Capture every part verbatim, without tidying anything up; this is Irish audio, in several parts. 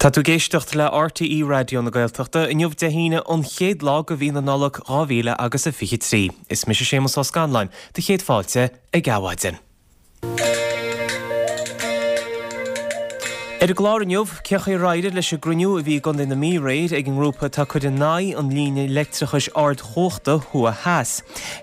Tá tú ag éisteacht le RTÉ Raidió na Gaeltachta inniu Dé hAoine an chéad lá de mhí na Nollag dhá mhíle agus a fiche trí. Is mise Séamus Ó Scanláin, do chéad fáilte ag Adhmhaidin. Ar an gclár inniu, cén chaoi ar éirigh leis an gcruinniú a bhí i gContae na Mí aréir ag an ngrúpa atá ag cur in aghaidh an líne leictreachais ardchumhachta thuaidh-theas.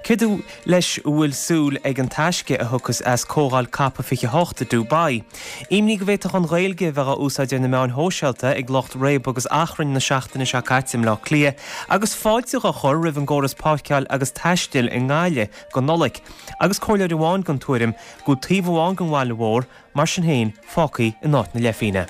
Céard leis a bhfuil súil ag An Taisce a thiocfas as Comhdháil Cop fiche a hocht i Dubai. Imní go bhféadfadh an Ghaeilge a bheith á úsáid ar na meáin shóisialta ag lucht réabadh agus achrainn na seachtaine seo caite i mBleá Cliath agus fáilte á chur roimh an gcóras páirceáil agus taistil i nGaillimh don Nollaig. Agus comhairleoir amháin den tuairim go bhfuil taobh amháin den bhaile mhór Mar sin féin, fágtha in áit na leithphingne.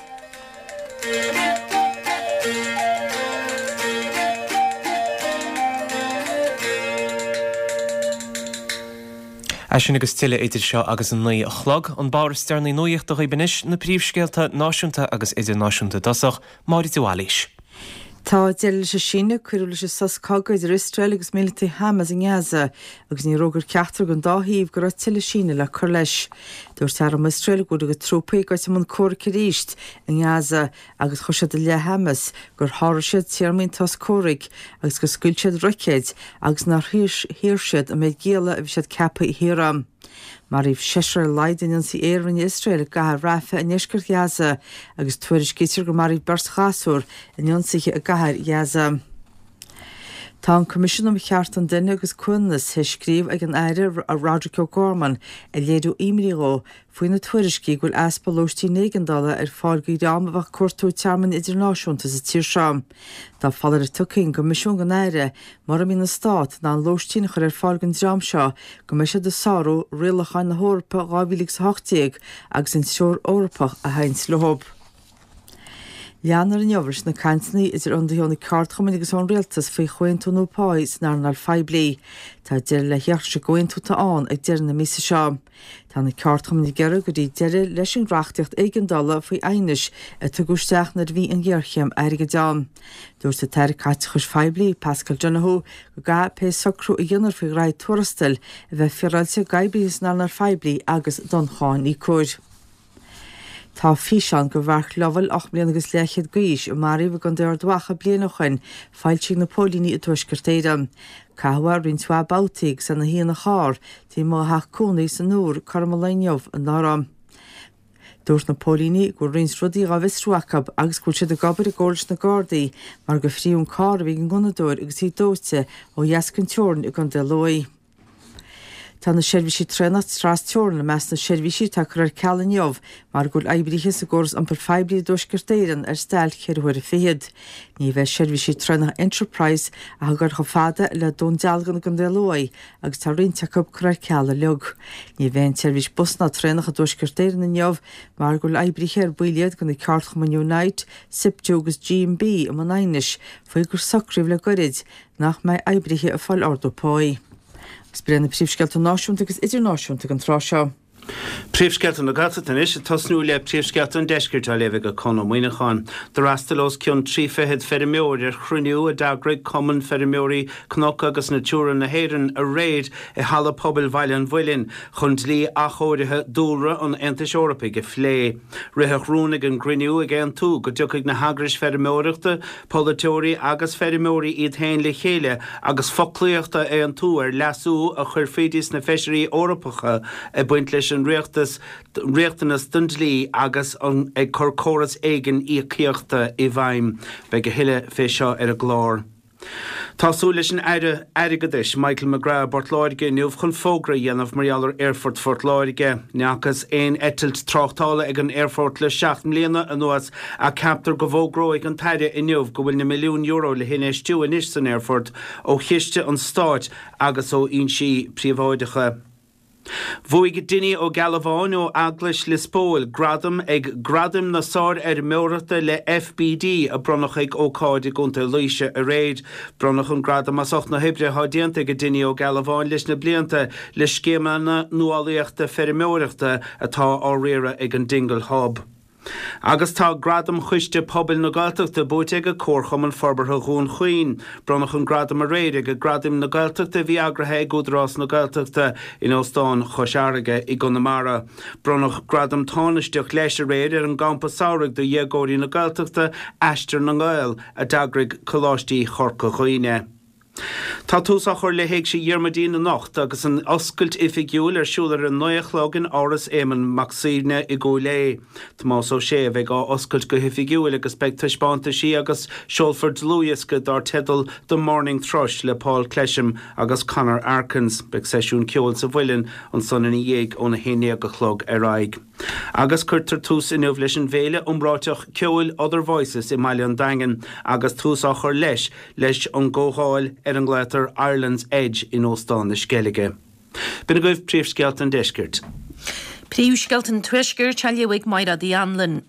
É sin agus tuilleadh idir seo agus a naoi a chlog. An babhta is deireanaí nuachta dhaoibh anois, na príomhscéalta náisiúnta agus idirnáisiúnta i dtosach, Máire de Bhailís. Tá deireadh leis an síneadh a cuireadh leis an sos cogaidh idir Iosrael agus mílitigh Hamas i nGaza agus níor fhógair ceachtar den dá thaobh go raibh tuilleadh síneadh le cur leis. Dúirt arm Iosrael go bhfuil a gcuid trúpaí ag goil i mbun comhraic arís i nGaza agus chuir siad i leith Hamas gur sháraigh siad téarmaí an tsos comhraic agus gur scaoil siad roicéid agus nár shaor siad an méid gialla a bhí siad ceaptha a shaoradh. Maraíodh seisear ar a laghad in ionsaí aeir a rinne Iosrael i gcathair Rafah i ndeisceart Ghaza agus tuairiscítear gur maraíodh beirt ghasúr in ionsaithe i gcathair Ghaza. Tá an Coimisiún um Chearta an Duine agus Comhionannas théis scríobh ag an Aire Roderic O'Gorman ag léiriú imní dhó faoi na tuairiscí go bhfuil easpa lóistín éigeandála ar fáil do dhream a bheadh ag cuartú tearmainn idirnáisiúnta sa tír seo. Tá foláireamh tugtha ag an gCoimisiún don Aire mura mbíonn an Stát in ann lóistín a chur ar fáil don dream seo go mbeidh siad ag sárú rialacháin na hEorpa dhá mhíle agus a hocht déag agus an Treoir Eorpach a théanns leo. Leanfar inniu leis na cainteanna idir ionadaithe ó na ceardchumainn agus ón rialtas faoi chomhaontú nua páí san earnáil phoiblí. Tá deireadh le theacht leis an gcomhaontú atá ann ag deireadh na míosa seo. Tá na ceardchumainn ag iarraidh go gcuirfí deireadh leis an reachtaíocht éigeandála faoi aighnis a tugadh isteach nuair a bhí an ghéarchéim airgid ann. Dúirt an tAire Caiteachais Phoiblí, Paschal Donohoe, go gcaithfidh pé socrú a dhéanfar faoi ghraithí tuarastail a bheith féaráilte d'oibrithe san earnáil phoiblí agus don cháiníocóir. Tá físeán de Mhark Lovell, ocht mbliana agus leathchéad d'aois, a maraíodh i gContae Ard Mhacha bliain ó shoin, foilsithe ag na póilíní i dTuaisceart Éireann. Caitheadh é roinnt mhaith babhtaí agus é ina shuí ina charr taobh amuigh dá theach cónaí san Iúr cothrom an lae inniu anuraidh. Dúirt na póilíní go bhfuil roinnt rudaí dhá bhfiosrú acu agus go bhfuil siad ag obair i gcomhar leis na Gardaí mar gur frítheadh an carr a bhí ag an ngunnadóir agus í dóite ó dheas den teorainn i gContae Lú. Tá na seirbhísí traenach tras-teorann i measc na seirbhísí atá curtha ar ceal inniu mar go bhfuil oibrithe sa gcóras iompair phoiblí i dTuaisceart Éireann ar stailc ceithre huaire fichead. Ní bheidh seirbhísí traenach Enterprise ach ag dul chomh fada le Dún Dealgan i gContae Lú agus tá roinnt acu curtha ar ceal uilig. Ní bheidh aon tseirbhís bus ná traenach i dTuaisceart Éireann inniu mar go bhfuil oibrithe ar baill iad de na ceardchumainn Unite, Siptu agus GMB i mbun aighnis faoi gur socraíodh le goirid nach mbeidh oibrithe ag fáil ardú páí. Agus b'in iad na príomhscéalta náisiúnta agus idirnáisiúnta ag an tráth seo. Príomhscéalta na Gaeltachta anois, ag tosnú le príomhscéalta an deiscirt á léamh ag Conn Ó Muíneacháin. D'fhreastail os cionn trí fichead feirmeoir ar chruinniú a d'eagraigh Cumann Feirmeoirí Cnoc agus Natura na hÉireann aréir i Halla Pobail Bhaile an Mhuilinn chun dlí athchóirithe dúlra an Aontais Eorpaigh a phlé. Ritheadh rún ag an gcruinniú ag aontú go dtiocfaidh na heagrais feirmeoireachta, polaiteoirí agus feirmeoirí iad féin le chéile agus foclaíocht a aontú ar leasú a chuirfí sna feisirí Eorpacha ag baint leis an riachtanas don dlí agus ag cur córas éigin íocaíochta i bhfeidhm. Beidh a thuilleadh fé seo ar an gclár. Tá súil leis an Aire Airgeadais, Michael McGrath i bPort Láirge inniu chun fógra a dhéanamh mar gheall ar Aerfort Phort Láirge. Ní fhacthas aon eitilt tráchtála ag an aerfort le seacht mbliana anuas ach ceaptar go bhfógróidh an tAire inniu go bhfuil na milliúin euro le hinfheistiú anois san aerfort ó chiste an stáit agus ó fhoinsí príobháideacha. Bhuaigh Dinny Ó Gealbháin ó Eaglais Lios Póil gradam ag Gradaim na Sárfheirmeoireachta le FBD a bronnadh ag ócáid i gContae Laoise aréir. Bronnadh an gradam as ucht na hoibre atá déanta ag Dinny Ó Gealbháin leis na blianta le scéimeanna nuálaíochta feirmeoireachta atá á riaradh ag an Dingle Hub. Agus tá Gradam Choiste Pobail na Gaeltachta buaite ag Comharchumann Forbartha Dhún Chaoin. Bronnadh an gradam aréir ag Gradaim na Gaeltachta a bhí eagraithe ag Údarás na Gaeltachta in Óstán Chois Fharraige i gConamara. Bronnadh gradam tánaisteach leis aréir ar an gcampa samhraidh do dhéagóirí na Gaeltachta Aistear na nGael a d'eagraigh Coláistí Chorca Dhuibhne. Tá tús á chur le hÉigse Dhiarmuidín anocht agus an oscailt oifigiúil ar siúl ar a naoi a chlog in Áras Éamonn Mac Suibhne i gCúil Aodha. Tomás Ó Sé a bheidh á oscailt go hoifigiúil agus beidh taispeántaisí agus seolfar dlúthdhiosca dar teideal The Morning Thrush le Paul Clesham agus Conor Arkins. Beidh seisiún ceoil sa Mhuileann ansan ina dhiaidh óna haon déag a chlog ar aghaidh. Agus cuirtear tús inniu leis an bhféile iomráiteach ceoil Other Voices i mBaile an Daingin agus tús á chur leis leis an gcomhdháil ar a nglaotar Ireland's Edge in Óstán na Sceilge. B'in agaibh príomhscéalta an deiscirt. Príomhscéalta an tuaiscirt á léamh ag Máire Uí Anluain.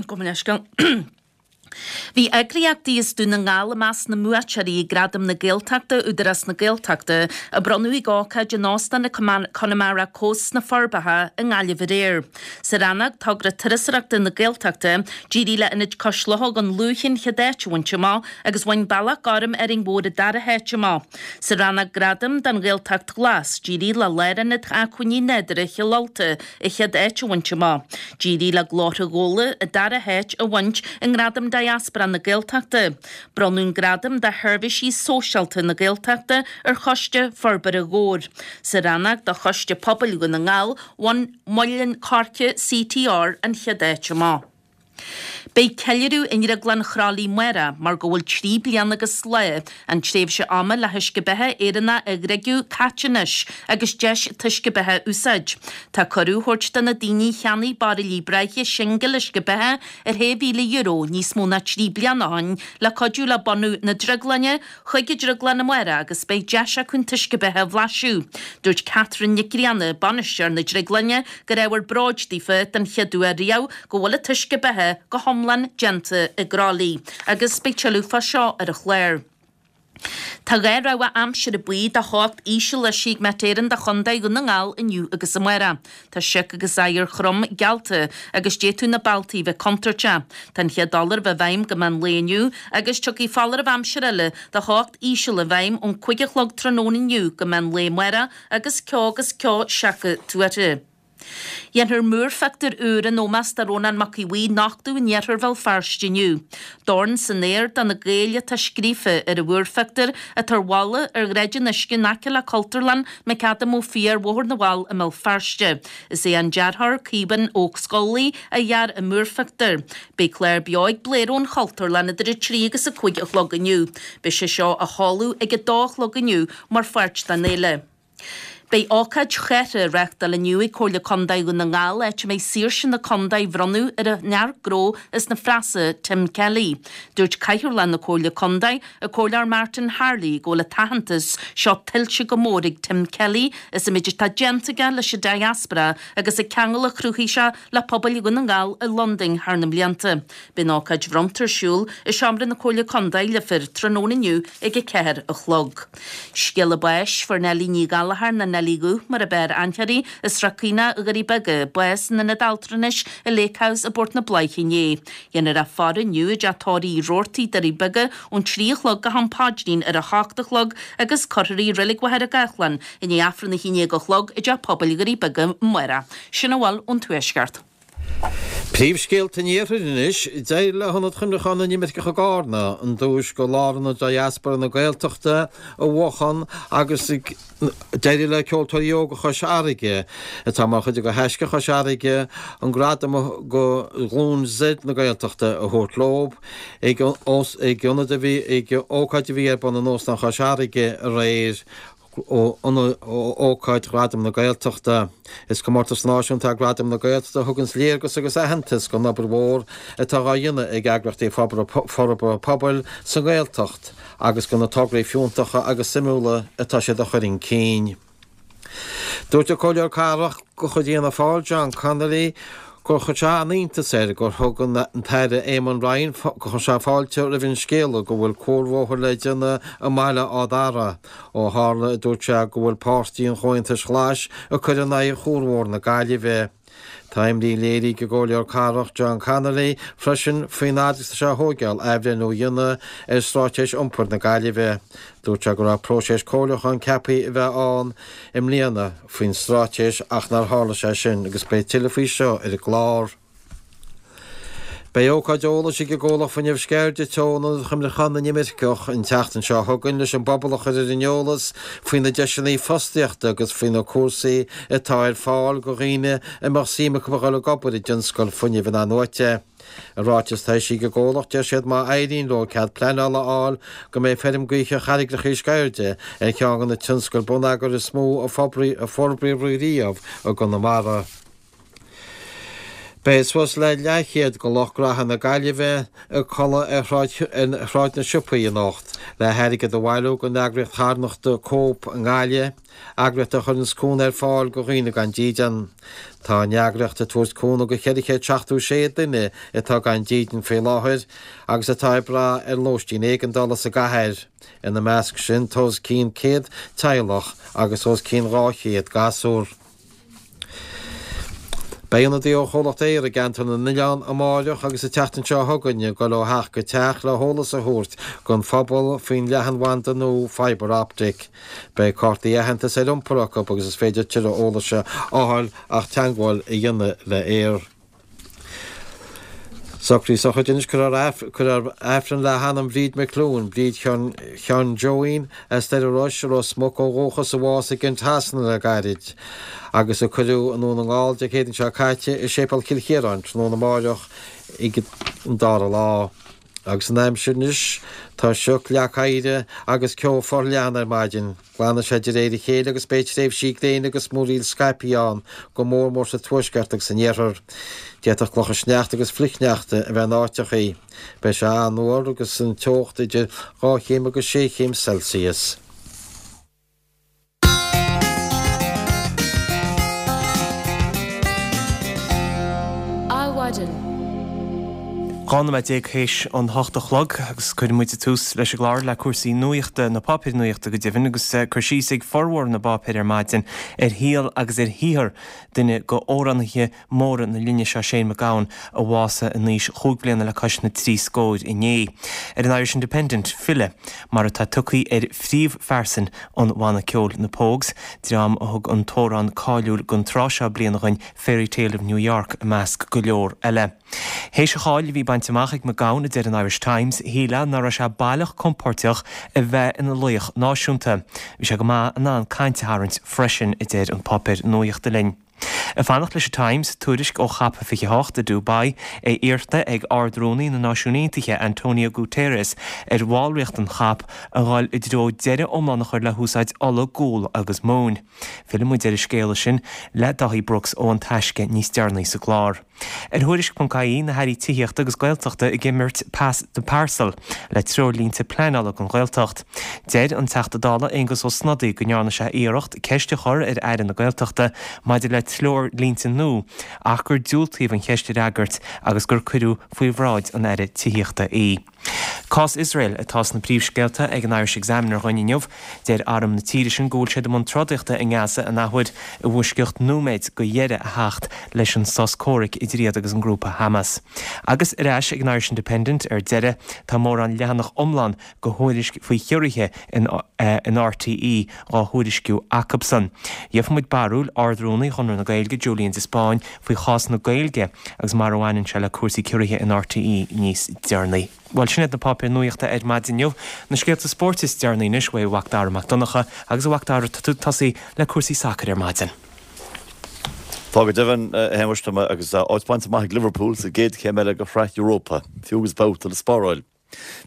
Gabh mo leithscéal. Bhí eagraíochtaí as Dún na nGall i measc na mbuaiteoirí ag Gradaim na Gaeltachta Údarás na Gaeltachta a bronnadh ag ócáid in Óstán na Connemara Coast sna Forbacha i nGaillimh aréir. Sa rannóg Togra Turasóireachta na Gaeltachta, d'éirigh le Ionad Cois Locha Dhún Lúiche an chéad áit a bhaint amach agus bhain Bealach Gorm Árainn Mhór an dara háit amach. Sa rannóg Gradam don Ghaeltacht Ghlas, d'éirigh le Lárionad Acmhainní Nádúrtha Chill Ulta an chéad áit a bhaint amach. D'éirigh le Glórtha Ghabhla an dara háit a bhaint i nGradam Diaspora na Gaeltachta. Bronnadh an Gradam do Sheirbhísí Sóisialta na Gaeltachta ar Choiste Forbartha Dhobhair. Sa rannóg do Choiste Pobail Dhún na nGall, bhain Muileann Coirce CTR an chéad áit amach. Beidh ceiliúradh i nDrioglann Chroithlí amárach mar go bhfuil trí bliana agus lá, an tréimhse ama le huisce beatha Éireannach a dhriogadh, caite anois agus deis an t-uisce beatha a úsáid. Tá cuireadh á thabhairt do na daoine a cheannaigh bairillí breátha singil uisce beatha ar shé mhíle euro níos mó ná trí bliana ó shin le cuidiú le bunú na drioglainne chuig an drioglann amárach agus beidh deis acu an t-uisce beatha a bhlaiseadh. Dúirt Catherine Nic Grianna, bainisteoir na drioglainne, gur ábhar bróid daofa den chéad uair riamh go bhfuil an t-uisce beatha go hiomlán déanta i gCroithlí agus beidh tuilleadh fá seo ar an chlár. Tá dhá rabhadh aimsire buí de theocht íseal eisithe ag Met Éireann do Chontae Dhún na nGall inniu agus amárach. Tá sioc agus oighear trom geallta agus d'fhéadfadh na bealtaí bheith contúirteach. Tá an chéad fholáireamh i bhfeidhm go meán lae inniu agus tiocfaidh foláireamh aimsire eile de theocht íseal i bhfeidhm ón cúig a chlog tráthnóna inniu go meán lae amárach agus ceo agus ceo seaca tuartha. Dhéanfar múrphictiúr úr in ómós do Rónán Mac Aodha Bhuí a nochtadh in iarthar Bhéal Feirste inniu. 'Dorn san aer do na Gaeil' atá scríofa ar an mhúrphictiúr atá ar bhalla ar Shráid an Uisce in aice le Cultúrlann McAdam Ó Fiaich ar Bhóthar na bhFál i mBéal Feirste. Is é an dearthóir Caoimhín Ó Scolaí a dhear an múrphictiúr. Beidh clár beo ag Blair ón Chultúrlann idir a trí agus a cúig a chlog inniu. Beidh sé seo á sheoladh ag a dó a chlog inniu mar pháirt den fhéile. Beidh ócáid chathardha á reáchtáil inniu ag Comhairle Contae Dhún na nGall áit a mbeidh saoirse na contae á bhronnadh ar an fhear gnó as na Frasa, Tim Kelly. Dúirt Cathaoirleach na Comhairle Contae, an Comhairleoir Martin Harley, go bhfuil an t-aitheantas seo tuillte go mór ag Tim Kelly as an méid atá déanta aige leis an diaspora agus an ceangal a chruthaigh sé le pobail Dhún na nGall i Londain thar na mblianta. Beidh an ócáid bhronnta ar siúl i Seomra na Comhairle Contae, Leifear, tráthnóna inniu ag a ceathair a chlog. Scéala báis, Fuair Neilí Ní Ghallchóir nó Neilí Dhubh mar ab fhearr aithne uirthi, as Srath Caonach, Dhoirí Beaga, bás in ionad altranais i Lake House i bPort na Bláiche inné. Dhéanfar í a faire inniu i dteach tórraimh Uí Robhartaigh, Doirí Beaga, ón trí a chlog go ham paidrín ar a hocht a chlog agus cuirfear í i Reilig Mhachaire Gathlán i ndiaidh Aifreann a haon déag a chlog i dteach pobail Dhoirí Beaga amárach. Sin a bhfuil ón Tuaisceart. Príomhscéalta an Iarthair anois, D'éirigh le hIonad Chuimhneacháin na nImirceach i gCarna an duais do Lárionad Diaspora na Gaeltachta a bhuachan agus d'éirigh le Ceoltóirí Óga Chois Fharraige, atá mar chuid de Thaisce Chois Fharraige, an gradam do Ghlúin Z na Gaeltachta a thabhairt leo ag ionad a bhí ag ócáid a bhí ar bun in Óstán Chois Fharraige aréir. Ócáid Ghradaim na Gaeltachta. Is comórtas náisiúnta é Gradaim na Gaeltachta a thuganns léargas agus aitheantas don obair mhór atá á dhéanamh ag eagraíochtaí forbartha pobail sa nGaeltacht agus do na tograí fiúntacha agus suimiúla atá siad a chur chun cinn. Dúirt an Comhairleoir Cathrach de chuid Fhianna Fáil, John Connolly, gur chuir sé an-iontas air gur thug an tAire Eamon Ryan gur chuir sé fáilte roimh an scéala go bhfuil cuarbhóthar le déanamh i mBaile Átha Dara, ó tharla, a dúirt sé, go bhfuil Páirtí an Chomhaontais Ghlais ag cur in aghaidh Chuarbhóthar na Gaillimhe. Tá imní léirithe ag an gComhairleoir Cathrach John Connolly freisin faoin fhad is atá sé a thógáil athbhreithniú a dhéanamh ar Straitéis Iompair na Gaillimhe. Dúirt sé go raibh próiseas comhairliúcháin ceaptha a bheith ann i mbliana faoin straitéis ach nár tharla sé sin agus beidh tuilleadh faoi seo ar an gclár. Beidh ócáid eolais ag an gcomhlacht Fuinneamh Sceirde Teo in Ionad Chuimhneacháin na nImirceach an tseachtain seo chugainn leis an bpobal a chur ar an eolas faoi na deiseanna fostaíochta agus faoi na cúrsaí atá ar fáil do dhaoine a mbeadh suim acu a dhul ag obair i dtionscal fuinnimh in-athnuaite. I ráiteas atá eisithe ag an gcomhlacht deir siad má éiríonn leo cead pleanála a fháil go mbeidh feirm gaoithe Charraigreacha Sceirde ar cheann de na tionscail bonneagair is mó a forbraíodh riamh i gConamara. Beidh suas le leathchéad de lucht gnaithe na Gaillimhe ag codladh ar Shráid na Siopaí anocht le hairgead a bhailiú don eagraíocht charthanachta Cope i nGaillimh, eagraíocht a chuireanns cúnamh ar fáil do dhaoine gan dídean. Tá an eagraíocht ag tabhairt cúnamh do cheithre chéad seachtó sé duine atá gan dídean faoi láthair agus atá ag brath ar lóistín éigeandála sa gcathair. Ina measc sin tá os cionn céad teaghlach agus os cionn dhá chéad gasúr. Beidh ionadaí ó chomhlacht Eir i gceantar na nOileán amáireach agus an tseachtain seo chugainn ag dul ó theach go teach le heolas a thabhairt don phobal faoin leathanbhanda nua fibre optic. Beidh cártaí aitheantais ar iompar acu agus is féidir tuilleadh eolais a fháil ach teagmháil a dhéanamh le Eir. Socruithe sochraide anois cuirfear Aifreann le hanam Bhríd McClune, Bríd Sheáin Joeín as Doire Rois, Ros Muc ó dhúchas a bhásaigh i gCent Shasana le gairid, agus a cuireadh i nDún na nGall Dé Céadaoin seo caite i Séipéal Chill Chiaráin tráthnóna amáireach ag an dara lá. Agus an aimsir anois, tá sioc, leac oighir agus ceo forleathan ar maidin. Glanfaidh sé de réir a chéile agus beidh tréimhsí gréine agus múraíl scaipthe ann, go mór mór sa tuaisceart agus san iarthar. D'fhéadfadh clocha sneachta agus flichshneachta a bheith in áiteachaí. Beidh sé an-fhuar agus an teocht idir dhá chéim agus sé chéim Celsius. Adhmhaidin. Dhá nóiméad déag théis an hocht a chlog agus cuireann muid tús leis an gclár le cúrsaí nuachta, na páipéir nuachta go deimhin, agus cur síos ag formhór na bpáipéar ar maidin ar shaol agus ar shaothar duine d'amhránaithe móra na linne seo, Shane MacGowan, a bhásaigh in aois chúig bliana le cois na trí scóir inné. Ar an Irish Independent, file, mar atá tugtha ar phríomhphearsain an bhanna ceoil Na Pogues, dream a thug an t-amhrán cáiliúil den tráth seo bliana dhuinn, Fairytale of New York, i measc go leor eile. Théis an cháil a bhí bainte amach ag MacGowan, a deir an Irish Times, shílfeá nach raibh sé baileach compóirteach a bheith ina laoch náisiúnta. Bhí sé go maith in ann caint a tharraingt freisin, a deir an páipéar nuachta linn. Ag fanacht leis an Times, tuairisc ó Chop fiche a hocht i Dubai, é iarrta ag Ard-Rúnaí na Náisiún Aontaithe Antonio Guterres ar bhallraíocht an Chop a dhul i dtreo deireadh iomlán a chur le húsáid ola, gual agus móin. Fillfidh muid ar an scéala sin le Dáithí Brooks ó An Taisce níos deireanaí sa gclár. Ar Thuairisc ponc ie, na hAirí Tithíochta agus Gaeltachta ag imirt Pass the Parcel le treoirlínte pleanála don Ghaeltacht. Deir an Teachta Dála Aengus Ó Snodaigh go ndearna sé iarracht ceist a chur ar Aire na Gaeltachta maidir le treoirlínte nua ach gur diúltaíodh an cheist a fhreagairt agus gur cuireadh faoi bhráid an Aire Tithíochta í. Cás Iosrael atá sna príomhscéalta ag an Irish Examiner dhuinn inniu. Deir arm na tíre sin go bhfuil siad i mbun trodaíochta i nGaza an athuair i bhfoisceacht nóiméid go dheireadh a theacht leis an sos comhraic idir iad agus an grúpa Hamas. Agus ar ais ag an Irish Independent ar deireadh, tá mórán leathanach iomlán de thuairisc faoi chiorruithe in in RTÉ dhá thuairisciú acubsan. Gheobhaidh muid barúil Ard-Rúnaí Chonradh na Gaeilge, Julian de Spáinn, faoi chás na Gaeilge agus mar a bhaineann sé le cúrsaí ciorruithe in RTÉ níos deireanaí. Bhuel, sin iad na páipéir nuachta ar maidin inniu. Na scéalta spóirt is deireanaí anois uaidh a mhac Dara Mac Donncha agus a mhac Dara, tá tú ag tosaí le cúrsaí sacair ar maidin. Tá go deimhin, a Shéamais, tá mé agus áit bainte amach ag Liverpool sa gcéad chéim eile de Shraith Europa, fiú agus babhta le spáráil.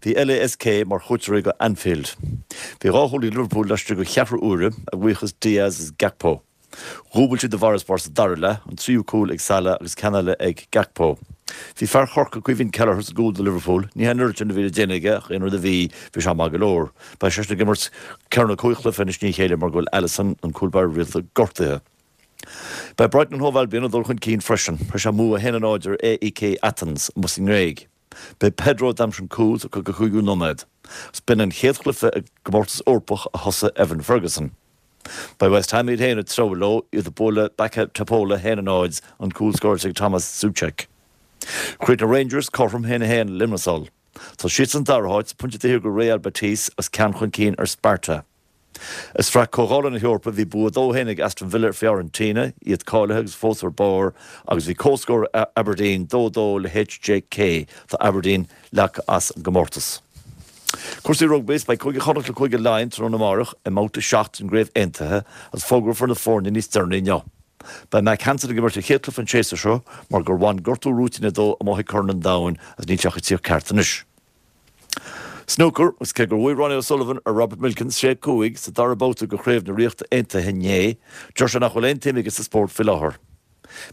Bhí LASK mar chuairteoirí go Anfield. Bhí dhá chúl ag Liverpool laistigh de cheathrú uaire, a bhuíochas Diaz is Gakpo. Dhúbail siad a bhfarasbarr sa dara leath, an tríú cúl ag Salah agus ceann eile ag Gakpo. Bhí fear Chorcaí Caoimhín Kelleher sa gcúl do Liverpool. Ní hé an oiread sin a bhí le déanamh aige ach aon rud a bhí, bhí sé maith go leor. Beidh seisean ag imirt ceithre nó cúig chluiche anois i ndiaidh a chéile mar go bhfuil Alisson, an cúl báire rialta, gortaithe. Beidh Brighton and Hove Albion ag dul chun cinn freisin. Tar éis a mbua a haon a náid ar AEK Athens amuigh sa nGréig. B'é Pedro a d'aimsigh an cúl sa caoga cúigiú nóiméad. Agus b'in an chéad chluiche i gcomórtas Eorpach a thosaigh Evan Ferguson. Beidh West Ham iad féin ag treabhadh leo, iad ag bualadh B K Topola a haon a náid, an cúl scóráilte ag Tomas Soucek. Chríochnaigh Rangers cothrom a haon a haon le Limassol. Tá siad san dara háit, pointe taobh thiar de Real Betis agus ceann chun cinn ar Sparta. I Sraith Comhdhála na hEorpa bhí bua dó a haon ag Aston Villa ar Fiorentina, iad cáilithe agus fós ar barr, agus bhí comhscór Aberdeen dó dó le H J K. Tá Aberdeen leagtha as an gcomórtas. Cúrsaí rugbaí, Beidh Cúige Chonnacht le Cúige Laighean tráthnóna amárach i mbabhta seacht den gCraobh Aontaithe agus fógrófar na foirne níos deireanaí inniu. Beidh Mack Hansen ag imirt a chéad chluiche an séasúr seo mar gur bhain gortú rúitín dó amuigh ag Corn an Domhain agus níl sé ach ag tíocht ceart anois. Snúcar, Agus cé gur bhuaigh Ronnie O'Sullivan ar Robert Milkins sé cúig sa dara babhta de Chraobh na Ríochta Aontaithe inné, deir sé nach bhfuil aon tsuim aige sa spórt faoi láthair.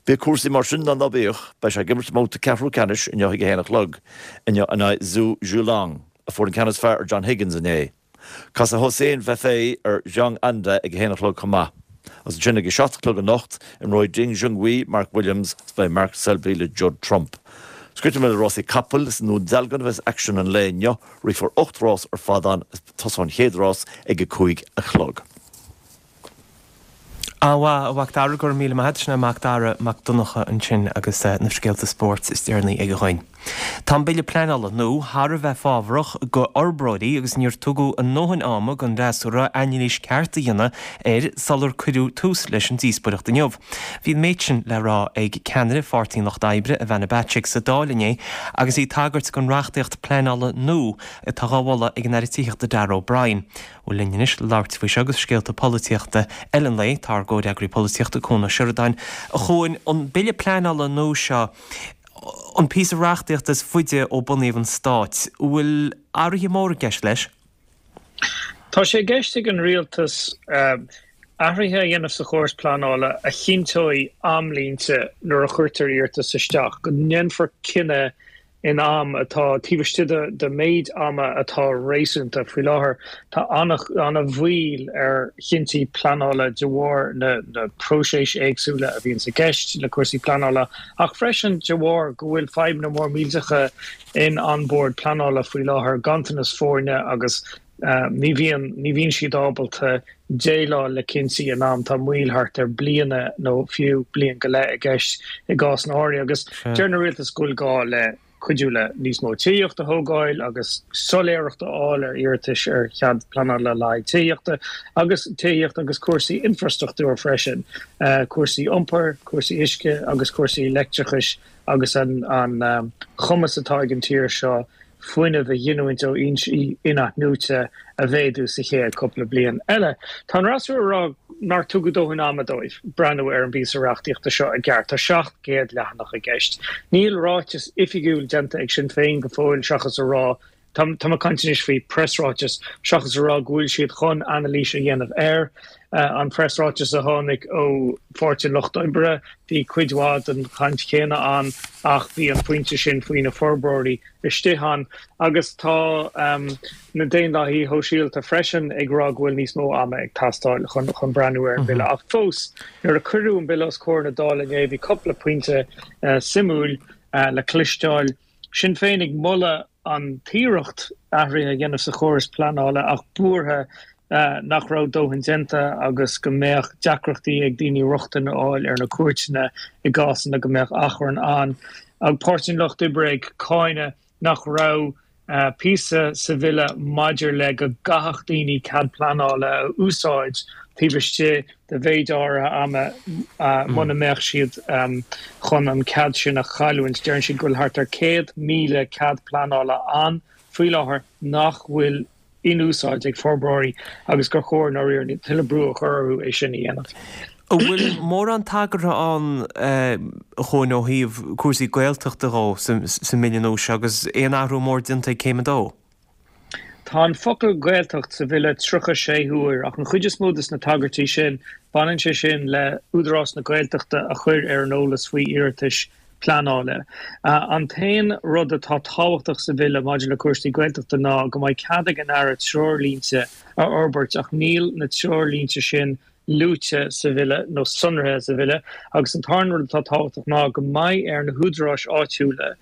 Bíodh cúrsaí mar sin nó ná bíodh, beidh sé ag imirt i mbabhta ceathrú ceannais inniu ag a haon a chlog, inniu in aghaidh Zhou Yuelong, a fuair an ceann is fearr ar John Higgins inné. Casfaidh Hossein Vafaei ar Zhang Anda ag a haon a chlog chomh maith. Agus ansin ag a seacht a chlog anocht, imreoidh Ding Junhui, Mark Williams, is beidh Mark Selby le Judd Trump. Scrite le rásaí capall is i nDún Dealgan a bheas aicsean an lae inniu, rithfear ocht rás ar fad ann is tosóidh an chéad rás ag a cúig a chlog. An-mhaith, a Mhac Dara, go raibh míle maith agat. Sin é Mac Dara Mac Donncha ansin agus na scéalta spóirt is deireanaí aige dhuinn. Tá an bille pleanála nua thar a bheith fábharach go fhorbróirí agus níor tugadh a ndóthain ama don fhreasúra anailís ceart a dhéanamh air sular cuireadh tús leis an díospóireacht inniu. Bhí an méid sin le rá ag ceannaire Pháirtí an Lucht Oibre Ivana Bacik sa Dáil inné agus í ag tagairt don reachtaíocht pleanála nua atá á mholadh ag an Aire Tithíochta Darragh O'Brien. Bhuel linn anois le labhairt faoi seo agus scéalta polaitíochta eile an lae tá ár gcomhfhreagraí polaitíochta Cuan Ó Seireadáin. A Chuain, an bille pleanála nua seo, an píosa reachtaíochta is faide ó bunaíodh an stát, bhfuil athruithe móra i gceist leis? Tá sé i gceist ag an rialtas athruithe a dhéanamh sa chóras pleanála a chinnteoidh amlínte nuair a chuirtear iarratas isteach, go ndéanfar cinneadh in am atá taobh istigh de méid ama atá réasúnta. Faoi láthair tá an-mhoill ar chinntí pleanála de bharr na na próisis éagsúla a bhíonn i gceist le cúrsaí pleanála, ach freisin de bharr go bhfuil fadhbanna mór millteacha in An Bord Pleanála faoi láthair, ganntanas foirne agus ní bhíonn ní bhíonn siad ábalta déileáil le cinntí in am. Tá moill thart ar bliana nó fiú bliain go leith i gceist i gcásanna áirithe agus deir an rialtas go bhfuil gá le cuidiú le níos mó tithíocht a thógáil agus soiléireacht a fháil ar iarratais ar chead pleanála le haghaidh tithíochta agus tithíocht agus cúrsaí infrastruchtúir freisin, cúrsaí iompair, cúrsaí uisce agus cúrsaí leictreachais agus an an cumas atá ag an tír seo fuinneamh a ghiniúint ó fhoinsí inathnuaite a mhéadú sa chéad cúpla bliain eile. Tá an fhreasúra ag rá nár tugadh dóthain ama dóibh breathnú ar an bpíosa reachtaíochta seo i gceart. Tá seacht gcéad leathanach i gceist. Níl ráiteas oifigiúil déanta ag Sinn Féin go fóill seachas a rá, tá mé ag caint anois faoi preasráiteas, seachas a rá go bhfuil siad chun anailís a dhéanamh air. An preasráiteas a tháinig ó Pháirtí an Lucht Oibre, bhí cuid mhaith den chaint chéanna ann ach bhí an pointe sin faoi na forbróirí istigh ann. Agus tá na Daonlathaithe Sóisialta freisin ag rá go bhfuil níos mó ama ag teastáil chun chun breathnú ar an bhille. Ach fós, nuair a cuireadh an bille os comhair na Dála inné, bhí cúpla pointe suimiúil le cloisteáil. Sinn Féin ag moladh an t-iarracht athruithe a dhéanamh sa chóras pleanála ach buartha nach raibh dóthain déanta agus go mbeadh deacrachtaí ag daoine rochtain a fháil ar na cúirteanna i gcásanna go mbeadh achrann ann. Ag Páirtí an Lucht Oibre ag cáineadh nach raibh píosa sa bhille maidir le go gcaithfeadh daoine cead pleanála a úsáid taobh istigh de mhéid áirithe ama muna mbeadh siad chun an cead sin a chailliúint. Deireann siad go bhfuil thart ar céad míle cead pleanála ann faoi láthair nach bhfuil in úsáid ag forbróirí agus gur chóir ndáiríre tuilleadh brú a chur orthu é sin a dhéanamh. An bhfuil mórán tagartha ann a Chuain ó thaobh cúrsaí Gaeltachta dhó sa mbille nua seo agus aon athrú mór déanta ag céim a dó? Tá an focal Gaeltacht sa bhille tríocha sé huair ach an chuid is mó de na tagairtí sin, baineann sé sin le Údarás na Gaeltachta a chur ar an eolas faoi iarratais pleanála. An t-aon rud atá tábhachtach sa bhille maidir le cúrsaí Gaeltachta ná go mbeidh cead ag an Aire treoirlínte a fhorbairt ach níl na treoirlínte sin luaite sa bhille nó sonraithe sa bhille agus an tarna rud atá tábhachtach ná go mbeidh ar na húdaráis áitiúla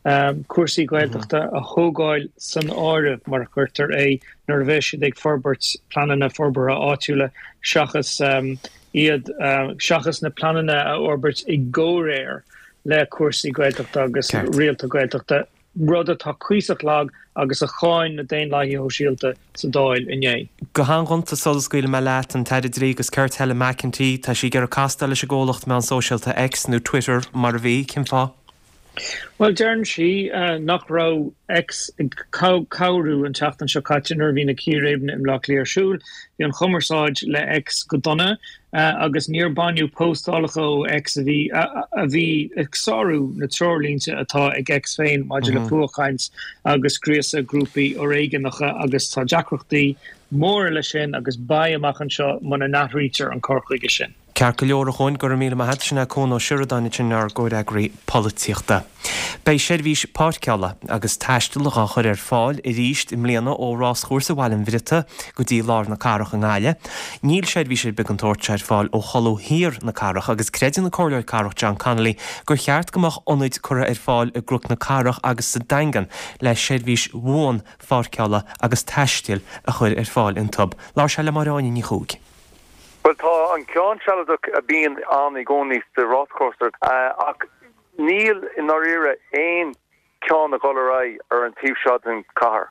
um, cúrsaí Gaeltachta a thógáil san áireamh mar a chuirtear é nuair a bheidh siad ag forbairt pleananna forbartha áitiúla seachas um, iad uh, seachas na pleananna a fhorbairt i gcomhréir le cúrsaí Gaeltachta agus rialta Gaeltachta rud atá cuíosach lag agus a cháin na Daonlathaithe Shóisialta sa Dáil inné. Go han-ghonta sula scaoilfidh mé leat an tAire Dlí agus Cirt Helen McEntee, tá sí ag iarraidh castáil leis an gcomhlacht meán sóisialta X nó Twitter mar a bhí, cén fáth? Well deireann sí uh, nach raibh X ag cabhrú an tseachtain seo caite nuair a bhí na círéibeanna i mBaile Átha Cliath ar siúl, bhí an chumarsáid le X go dona uh, agus níor baineadh postálacha ó X a bhí a, a bhí ag sárú na treoirlínte atá ag X féin maidir le mhm. fuathchaint agus gríosadh grúpaí fhoréigneacha agus tá deacrachtaí móra leis sin agus beidh amach anseo muna n-athraítear an cur chuige sin. Ceart go leor a Chuain, go raibh míle maith agat, sin é Cuan Ó Seireadáin ansin ár gcomhfhreagraí polaitíochta. Beidh seirbhís páirceála agus taistil á chur ar fáil arís i mbliana ó Ráschúrsa Bhaile an Bhriotaigh go dtí lár na cathrach i nGaillimh. Níl seirbhís ar bith den tsórt seo ar fáil ó cholbha thiar na cathrach agus creideann an Comhairleoir Cathrach John Connolly gur cheart go mbeadh ionaid curtha ar fáil i gCnoc na Cathrach agus sa Daingean le seirbhís bhuan pháirceála agus taistil a chur ar fáil iontu. Labhair sé le Máire Áine Ní Chuaig. Well tá an ceann sealadach a bhíonn ann i gcónaí sa ráschúrsa ach níl i ndáiríre aon ceann ag dul ar aghaidh ar an taobh seo den chathair.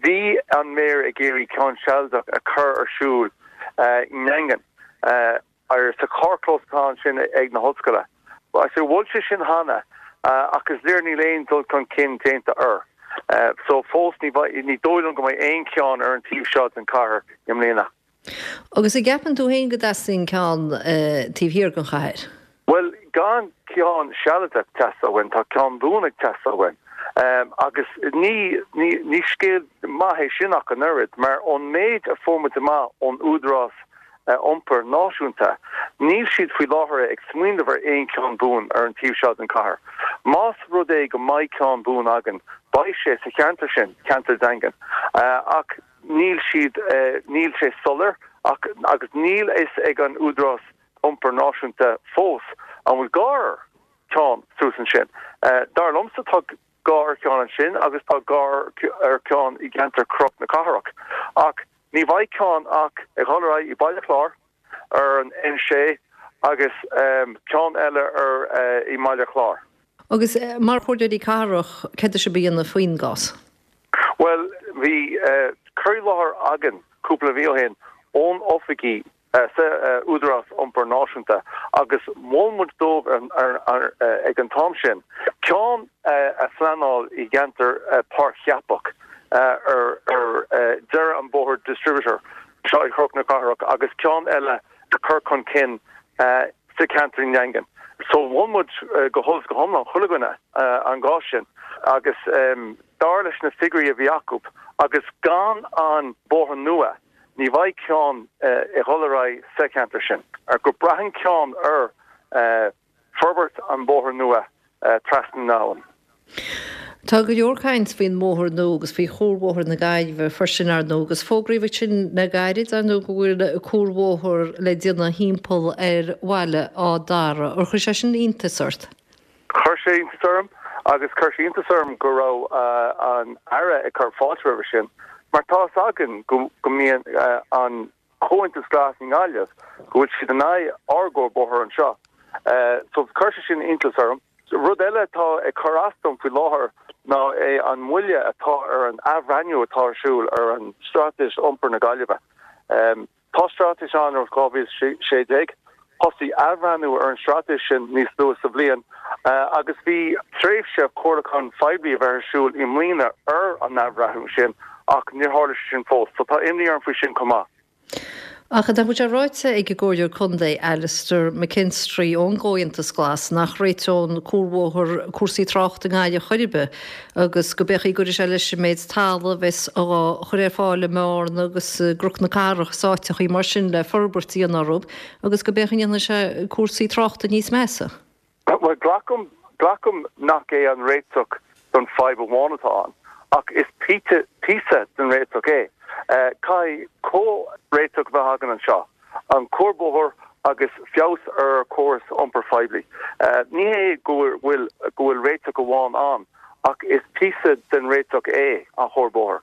Bhí an méara ag iarraidh ceann sealadach a chur ar siúl i nDaingean ar sa charrchlós atá ansin ag na hollscoile. So mhol sé sin cheana ach is léir níl aon dul chun cinn déanta air. So fós ní ní dóigh liom go mbeidh aon cheann ar an taobh seo den chathair i mbliana. Agus an gceapann tú féin go dteastaíonn ceann taobh thiar den chathair? Bhuel, gan ceann sealadach ag teastáil uainn, tá ceann buan ag teastáil uainn. Agus ní ní ní scéal maith é sin ach an oiread, mar ón méid a fuair muid amach ón Údarás Iompair Náisiúnta, níl siad faoi láthair ag smaoineamh ar aon cheann buan ar an taobh seo den chathair. Más rud é go mbeidh ceann buan againn, beidh sé sa cheantar sin, ceantar Daingean. Ach níl siad, níl sé soiléir ach agus níl fhios ag an Údarás Iompair Náisiúnta fós an bhfuil gá ar cheann suas ansin. Dar liomsa tá gá ar cheann ansin agus tá gá ar cheann i gceantar Chnoc na Cathrach. Ach ní bheidh ceann ach ag dhul ar aghaidh i Baile Chláir ar an N sé agus ceann eile ar i mBaile Chláir. Agus mar chomhairleoirí cathrach, céard atá sibh a dhéanamh faoin gcás? Bhuel, bhí cur i láthair againn cúpla mhí ó shin ón oifigí sa Údarás Iompair Náisiúnta agus mhol muid dóibh ag an t-am sin ceann a phleanáil i gceantar Páirc Cheapach ar deireadh an bóthar Distributor seo i Cnoc na Cathrach agus ceann eile a chur chun cinn sa cheantar i nDaingean. So mhol muid go huile is go hiomlán chuile dhuine an gá sin agus dar leis na figiúirí a bhí acu agus gan an bóthar nua ní bheidh ceann ag dhul ar aghaidh sa cheantar sin. Ar go braitheann ceann ar forbairt an bóthar nua trasna na habhann. Tá go leor caint faoin mbóthar nua agus faoi chuarbhóthar na Gaillimhe freisin ar ndóigh agus fógraíodh ansin le gairid ar ndóigh go bhfuil cuarbhóthar le déanamh thimpeall ar Bhaile Átha Dara. Ar chuir sé sin iontas ort? Chuir sé iontas orm agus chuir sé iontas orm go raibh an Aire ag cur fáilte roimhe sin mar tá fhios againn go mbíonn an Comhaontas Glas i nGaillimh go bhfuil siad in aghaidh ár gcuarbhóthar anseo. So chuir sé sin iontas orm. Rud eile atá ag cur as dom faoi láthair ná é an moille atá ar an athbhreithniú atá ar siúl ar an Straitéis Iompair na Gaillimhe. Tá straitéis ann ó dhá mhíle a sé déag. Thosaigh athbhreithniú ar an straitéis sin níos luaithe sa bhliain agus bhí tréimhse comhairliúcháin phoiblí a bheith ar siúl i mbliana ar an athbhreithniú sin ach níor tharla sé sin fós. So tá imní orm faoi sin chomh maith. Ach tá sé ráite ag an gComhairleoir Contae Alastair McKinstry ón gComhaontas Glas nach réiteodh cuarbhóthar cúrsaí tráchta i nGaillimh chor ar bith agus go b'fhéidir go gcuirfidh sé leis an méid talaimh a bheas á chur ar fáil i mBearna agus i gCnoc na Cathrach is áiteachaí mar sin le forbairt a dhéanamh orthu agus go b'fhéidir go ndéanfaidh sé cúrsaí tráchta níos measa. Bhuel, glacaim, glacaim nach é an réiteach don fadhb amháin atá ann, ach is píosa den réiteach é. Caithfidh comhréiteach a bheith againn anseo. An cuarbhóthar agus feabhas ar chóras iompair phoiblí. Ní hé go bhfuil go bhfuil réiteach amháin ann, ach is píosa den réiteach é an cuarbhóthar.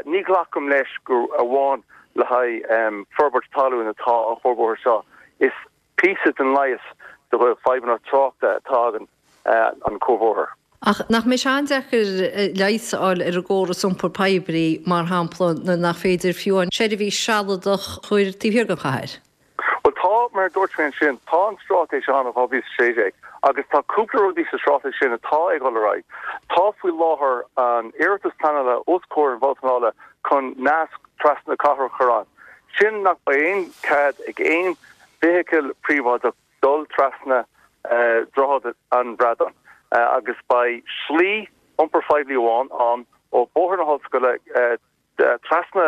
Ní ghlacaim leis gur amháin le haghaidh forbairt talún atá an cuarbhóthar seo, is píosa den leigheas do fadhbanna tráchta atá againn an cuarbhóthar. Ach nach mbeidh sé an-deacair leigheas a fháil ar an gcóras iompair poiblí, mar shampla, nuair nach féidir fiú an seirbhís sealadach a chur taobh thiar den chathair? Bhuel tá, mar a dúirt mé ansin, tá an straitéis ann ó dhá mhíle is a sé déag agus tá cúpla rudaí sa straitéis sin atá ag dul ar aghaidh. Tá faoi láthair an iarratas pleanála os comhair an Bhoird Pleanála chun nasc trasna cathrach a chur ann. Sin nach mbeidh aon cead ag aon feithicil príobháideach dul trasna Droichead an Bhradáin agus beidh slí iompair phoiblí amháin ann ó Bhóthar na hOllscoile trasna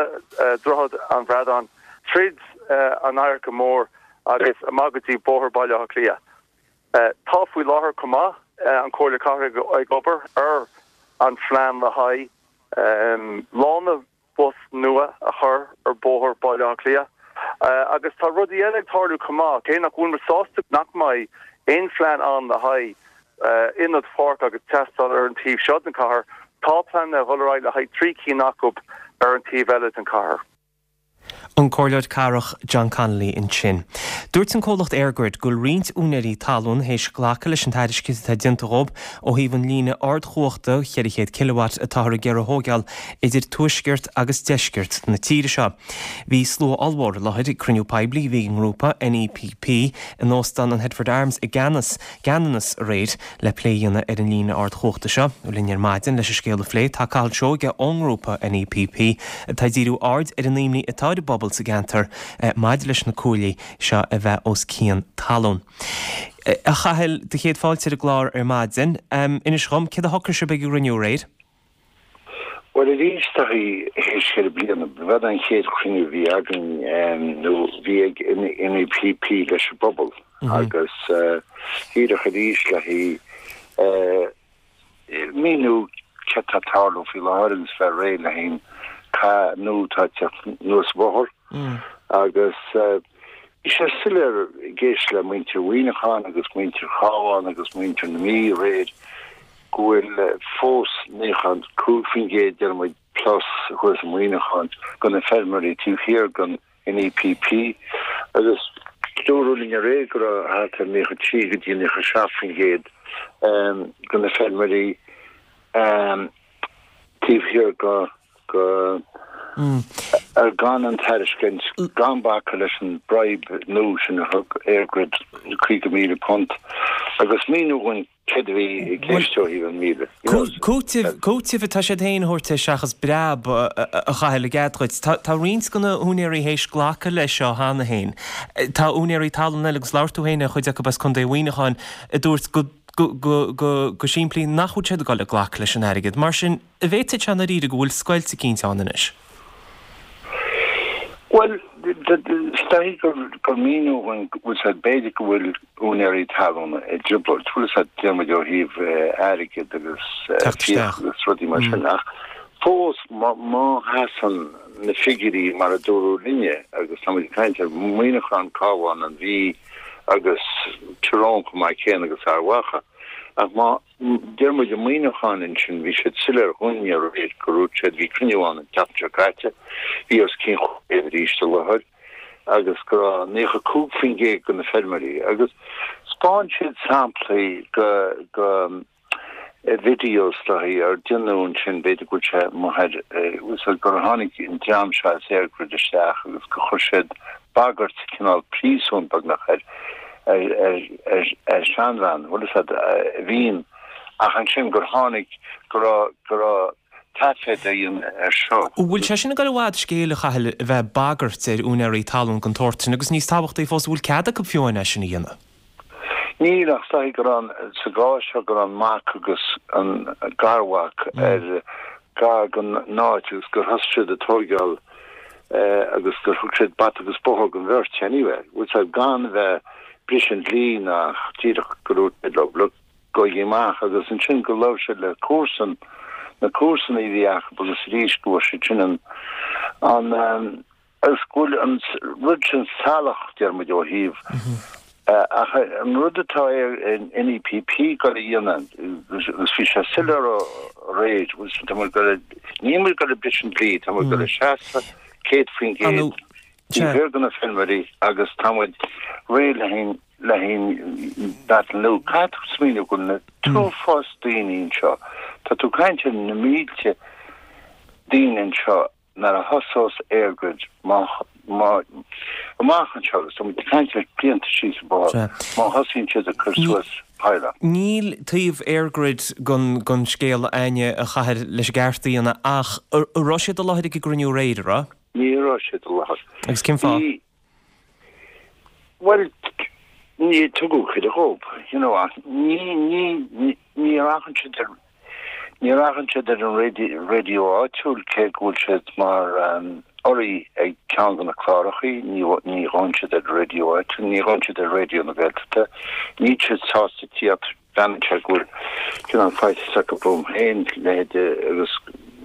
Droichead an Bhradáin tríd an Adharca Mór agus amach go dtí Bóthar Baile Átha Cliath. Tá faoi láthair chomh maith an Chomhairle Cathrach ag obair ar an phlean le haghaidh lána bus nua a chur ar Bhóthar Baile Átha Cliath. Agus tá rudaí eile ag tarlú chomh maith, cé nach bhfuil muid sásta nach mbeidh aon phlean ann le haghaidh ionad pháirce agus tástáil ar an taobh seo den chathair, tá pleananna ag dul ar aghaidh le haghaidh trí cinn acu ar an taobh eile den chathair. An Comhairleoir Cathrach John Connolly ansin. Dúirt an comhlacht EirGrid go bhfuil roinnt úinéirí talún théis glacadh leis an tairiscint atá déanta dhóibh ó thaobh an líne ardchumhachta cheithre chéad kilowatt atáthar ag iarraidh a thógáil idir tuaisceart agus deisceart na tíre seo. Bhí slua ollmhór i láthair ag cruinniú poiblí a bhí ag an ngrúpa NEPP in Óstán an Headford Arms i gCeannas, gCeanannas aréir le plé a dhéanamh ar an líne ardchumhachta seo. Linn ar maidin leis an scéal a phlé tá Cathal Seoige ón ngrúpa NEPP atá ag díriú aird ar an imní atá ar an bpobal sa gceantar maidir leis na cuaillí seo a bheith os cionn talún. A Chathail, do chéad fáilte ar an gclár ar maidin. Inis dhom, céard a shocraigh sibh ag an gcruinniú aréir? Bhuel, arís, théis cheithre bliana, b'in an chéad chruinniú a bhí againn, nó bhí ag NEPP leis an bpobal, agus díreach arís le haghaidh míniú céard tá ag tarlú faoi láthair agus bheith réidh le haghaidh an cath nua atá ag teacht anuas an bóthar. Agus bhí sé soiléir ag éisteacht le muintir Mhuineacháin agus muintir Chabháin agus muintir na Mí aréir go bhfuil fós naocha cúig faoin gcéad, deir muid, plus thuas i Muineachán de na feirmeoirí taobh thiar den NEPP agus dúradh linn aréir go raibh thart ar naocha trí go dtí naocha seacht faoin gcéad de na feirmeoirí taobh thiar go go ar gan an tairiscint gan bacadh leis an bribe nua sin a thug EirGrid caoga míle punt agus míniú dhúinn céard a bhí i gceist ó thaobh an míle. Cúiteamh, cúiteamh atá siad féin a thabhairt air seachas breab a Chathail i gcead dhuit. Tá, tá roinnt de na húinéirí théis glacadh leis seo cheana féin. Tá úinéirí talún eile agus labhair tú féin ar chuid acu as Contae Mhuineacháin a dúirt go, go, go, go, go simplí nach bhfuil siad ag dul ag glacadh leis an airgead. Mar sin, an bhféadfadh sé i ndáiríre go bhfuil scoilt eicínt ann anois? Bhuel, is dóigh gur míniú dhúinn go bhfuil sé, b'fhéidir go bhfuil úinéirí talún i dtrioblóid, bhfuil a fhios agat, deir muid ó thaobh airgid agus Teacht fiach isteach. agus rudaí mar sin, ach fós má sheasann na figiúirí mar a dúradh linne, agus tá muid ag caint ar Mhuineachán, Cabhán, an Mhí agus Tír Eoghain chomh maith céanna agus Ard Mhacha, ach má Deir muid i Muineachán ansin, bhí siad soiléir dhúinne aréir go raibh siad, bhí cruinniú ann an tseachtain seo caite, bhí os cionn chúig chéad arís i láthair agus go raibh naocha cúig faoin gcéad de na feirmeoirí agus 'spáin siad samplaí go, go videos le haghaidh ar déanadh ansin, b'fhéidir go bhfuil sé amuigh ar, bhfuil a fhios agat, gur tháinig an dream seo as EirGrid isteach agus gur chuir siad bagairt, cineál príosún beagnach ar ar seanbhean, bhfuil a fhios agat, a bhíonn, ach ansin gur tháinig, go raibh, go raibh taifead á dhéanamh air seo. Bhfuil sé sin ag dul i bhfad scéil, a Chathail, a bheith ag bagairt ar úinéirí talún den tsórt sin agus níos tábhachtaí fós, an bhfuil cead acu fiú amháin é sin a dhéanamh? Níl, ach is dóigh go raibh an, sa gcás seo, go raibh an mac agus an garmhac ar gar don áit agus gur thosaigh siad ag tóigeáil agus gur thug siad bata agus bóthar don bheirt anyway, bhfuil a fhios agat, gan a bheith briseadh an dlí ná díreach go dúirt siad leo, look, gabhaigí amach agus ansin go labhair siad le comharsan, na comharsanaí a bhí acu agus arís go bhfuair siad sin an, an, Agus go bhfuil an rud sin salach, deir muid, ó thaobh ach an rud atá ar NEPP ag dul a dhéanamh, agus bhí sé soiléir aréir, tá muid ag dul, níl muid ag dul ag briseadh an dlí, tá muid ag dul a seasamh céad faoin gcéad taobh thiar de na feilméaraí agus tá muid réidh le haghaidh le haghaidh battle nua. Caithfidh tú smaoineamh go bhfuil na t-uafás daoine anseo, tá tú ag caint ar na mílte daoine anseo nuair a thosós EirGrid amach anseo, agus tá muid ag caint ar blianta síos an bóthar, má thosaíonn siad ag cur suas pylon. Níl taobh EirGrid den scéal againne, a Chathail, leis an gceart a dhéanamh, ach an raibh siad i láthair ag an gcruinniú aréir, an raibh? Ní raibh siad i láthair. Agus cén fáth? Bhí, bhuel, ní tugadh cuireadh dhóibh, you know, ach ní, ní, ní rachann siad ar, Ní rachann siad ar an raidió áitiúil cé go bhfuil siad mar urraí ag ceann de na clárachaí, ní ghabhann siad ar an raidió áitiúil, ní ghabhann siad ar Raidió na Gaeltachta, níl siad sásta tíocht, breathnaíonn sé go bhfuil cineál faitíos acu romham féin, leithéide agus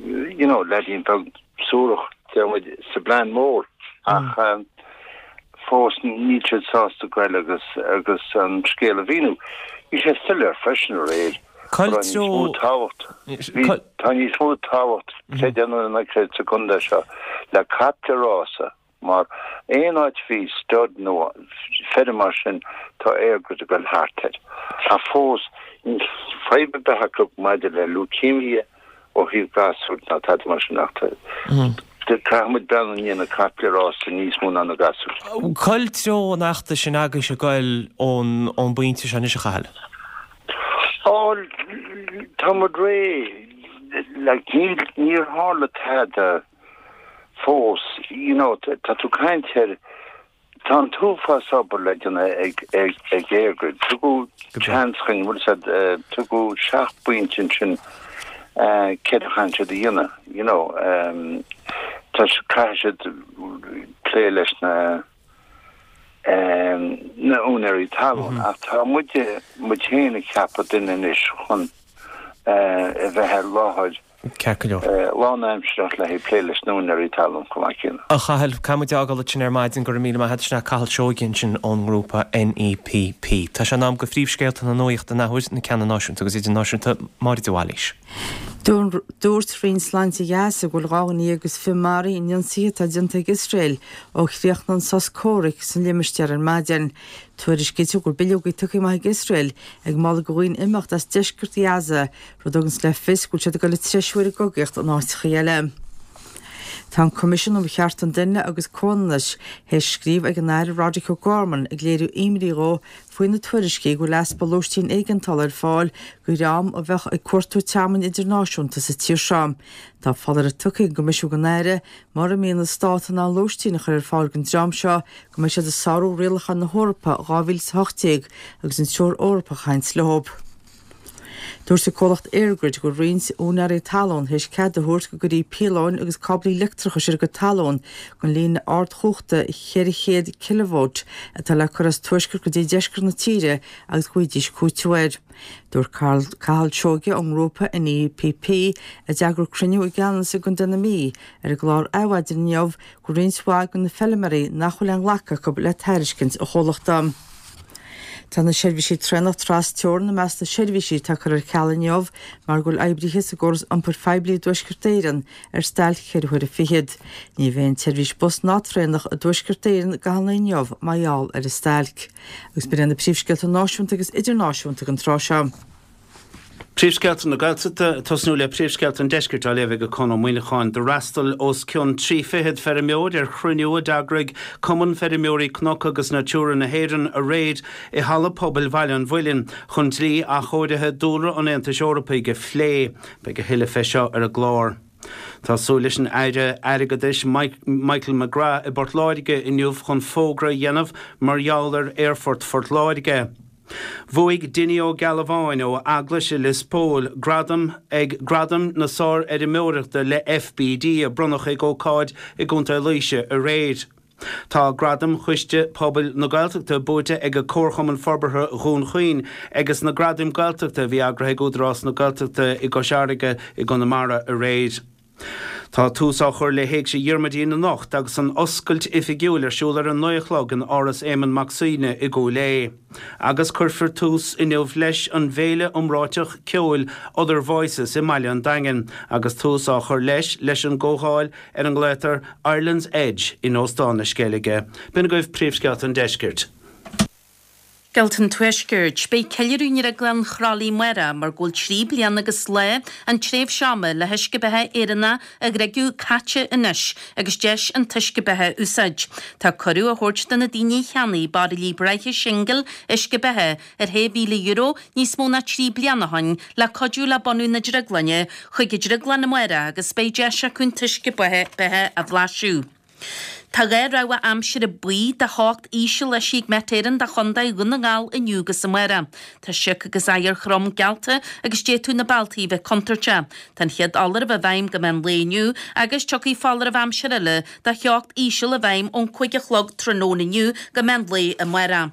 you know leaidín beag suarach, deir muid, sa bplean mór ach fós níl siad sásta goil agus agus an scéal a mhíniú. Bhí sé soiléir freisin aréir. Cá Tá níos mó treo. tábhacht, bhí, tá níos mó tábhacht, creid é nó ná creid, sa gcontae seo le caiple rása mar aon áit a bhí stud nó feirm mar sin tá EirGrid ag dul thart air. Ach fós níl fadhb ar bith acu maidir le leukemia ó thaobh gasúir ná tada mar sin ach tá, caithfidh muid breathnú i ndiaidh na caiple rása níos mó ná na gasúir. Cá treo an fheachtais sin agaibhse ag goil ón ón bpointe seo anois, a Chathail? Á, tá muid réidh. Like, níl, níor tharla tada fós, you know, tá tú ag caint ar, Tá an t-uafás obair le déanamh ag ag EirGrid. Tugadh seans chugainn, bhfuil a fhios agat, tugadh seacht bpointe ansin céard a chaitheann siad a dhéanamh, you know. Tá, caithfidh siad plé leis na na úinéirí talún ach tá muide, muid féin ag ceapadh duine anois chun a bheith ar láthair Ceart go leor. Lánaimsearach le haghaidh plé leis na húinéirí talún chomh maith céanna. A Chathail, caithfidh muid fhágáil ansin ar maidin, go raibh míle maith agat, sin é Cathal Seoige ansin ón ngrúpa NEPP. Tá sé in am go phríomhscéalta na nuachta an athuair, na ceanna náisiúnta agus idirnáisiúnta, Máire de Bhailís. Dúirt Roinn Sláinte Ghaza go bhfuil dhá dhuine déag agus fiche maraithe in ionsaithe atá déanta ag Iosrael ó chríochnaigh an sos comhraic san limistéar ar maidin. Tuairiscítear go bhfuil bileogaí tugtha amach ag Iosrael ag moladh do dhaoine imeacht as deisceart Ghaza, rud a thuganns le fios go bhfuil siad ag dul ag treisiú ar an gcogaíocht in áiteacha eile. Tá an Coimisiún um Chearta an Duine agus Comhionannais théis scríobh ag an Aire Roderic O'Gorman ag léiriú imní dhó faoi na tuairiscí go bhfuil easpa lóistín éigeantála ar fáil do dhream a bheadh ag cuartú tearmainn idirnáisiúnta sa tír seo. Tá foláireamh tugtha ag an gCoimisiún don Aire mura mbíonn an Stát in ann lóistín a chur ar fáil don dream seo go mbeidh siad ag sárú rialacháin na hEorpa dhá mhíle is a hocht déag agus an Treoir Eorpach a chaint leo. Dúirt an comhlacht EirGrid go bhfuil roinnt úinéirí talún théis cead a thabhairt go gcuirfí píolóin agus cáblaí leictreachais ar a gcuid talún don líne ardchumhachta cheithre chéad cileavólt atá le cur as tuaisceart go dtí deisceart na tíre agus go bhfaighidís cúiteamh air. Dúirt Cathal Seoige ón ngrúpa NEPP, a d'eagraigh cruinniú i gCeanannas i gContae na Mí, ar an gclár Adhmhaidin inniu go bhfuil roinnt mhaith de na feilméaraí nach bhfuil aon ghlacadh acu le tairiscint an chomhlachta. Tá na seirbhísí traenach tras-teorann i measc na seirbhísí atá curtha ar ceal inniu mar go bhfuil oibrithe sa gcóras iompair phoiblí i dTuaisceart Éireann ar stailc cheithre huaire fichead. Ní bheidh aon tseirbhís bus ná traenach i dTuaisceart Éireann i gcaitheamh an lae inniu mar gheall ar an stailc. Agus b'in iad na príomhscéalta náisiúnta agus idirnáisiúnta don tráth seo. Príomhscéalta na Gaeltachta, ag tosnú le príomhscéalta an Deiscirt á léamh ag Conn Ó Muíneacháin. D'fhreastail os cionn trí fichead feirmeoir ar chruinniú a d'eagraigh Cumann Feirmeoirí Cnoc agus Natura na hÉireann aréir i Halla Pobail Bhaile an Mhuilinn chun dlí athchóirithe dúlra an Aontais Eorpaigh a phlé. Beidh a thuilleadh fé seo ar an gclár. Tá súil leis an Aire Airgeadais Michael McGrath i bPort Láirge inniu chun fógra a dhéanamh mar gheall ar Aerfort Phort Láirge. Bhuaigh Dinny Ó Gealbháin ó Eaglais i Lios Póil gradam ag Gradaim na Sárfheirmeoireachta le FBD a bronnadh ag ócáid i gContae Laoise aréir. Tá Gradam Choiste Pobail na Gaeltachta buaite ag Comharchumann Forbartha Dhún Chaoin ages na Gradaim Gaeltachta a bhí eagraithe ag Údarás na Gaeltachta i gCois Fharraige i gConamara aréir. Tá tús á chur le hÉigse Dhiarmuidín anocht agus an oscailt oifigiúil ar siúl ar a naoi a chlog in Áras Éamonn Mac Suibhne i gCúil Aodha. Agus cuirfear tús inniu leis an bhféile iomráiteach ceoil Other Voices i mBaile an Daingin agus tús á chur leis leis an gcomhdháil ar a nglaotar Ireland's Edge in Óstán na Sceilge. B'in agaibh príomhscéalta an deiscirt. Scéalta an Tuaiscirt. Beidh ceiliúradh i nDrioglann Chroithlí amárach mar go bhfuil trí bliana agus lá an tréimhse ama le huisce beatha Éireannach a dhriogadh caite anois agus deis an t-uisce beatha a úsáid. Tá cuireadh á thabhairt do na daoine a cheannaigh bairillí breátha singil uisce beatha ar shé mhíle euro níos mó ná trí bliana ó shin le cuidiú le bunú na drioglainne chuig an drioglann amárach agus beidh deis acu an t-uisce beatha a bhlaiseadh. Tá dhá rabhadh aimsire buí de theocht íseal eisithe ag Met Éireann do Chontae Dhún na nGall inniu agus amárach. Tá sioc agus oighear throm geallta agus d'fhéadfadh na bealtaí a bheith contúirteach. Tá an chéad fholáireamh i bhfeidhm go meán lae inniu agus tiocfaidh foláireamh aimsire eile de theocht íseal i bhfeidhm ón cúig a chlog tráthnóna inniu go meán lae amárach.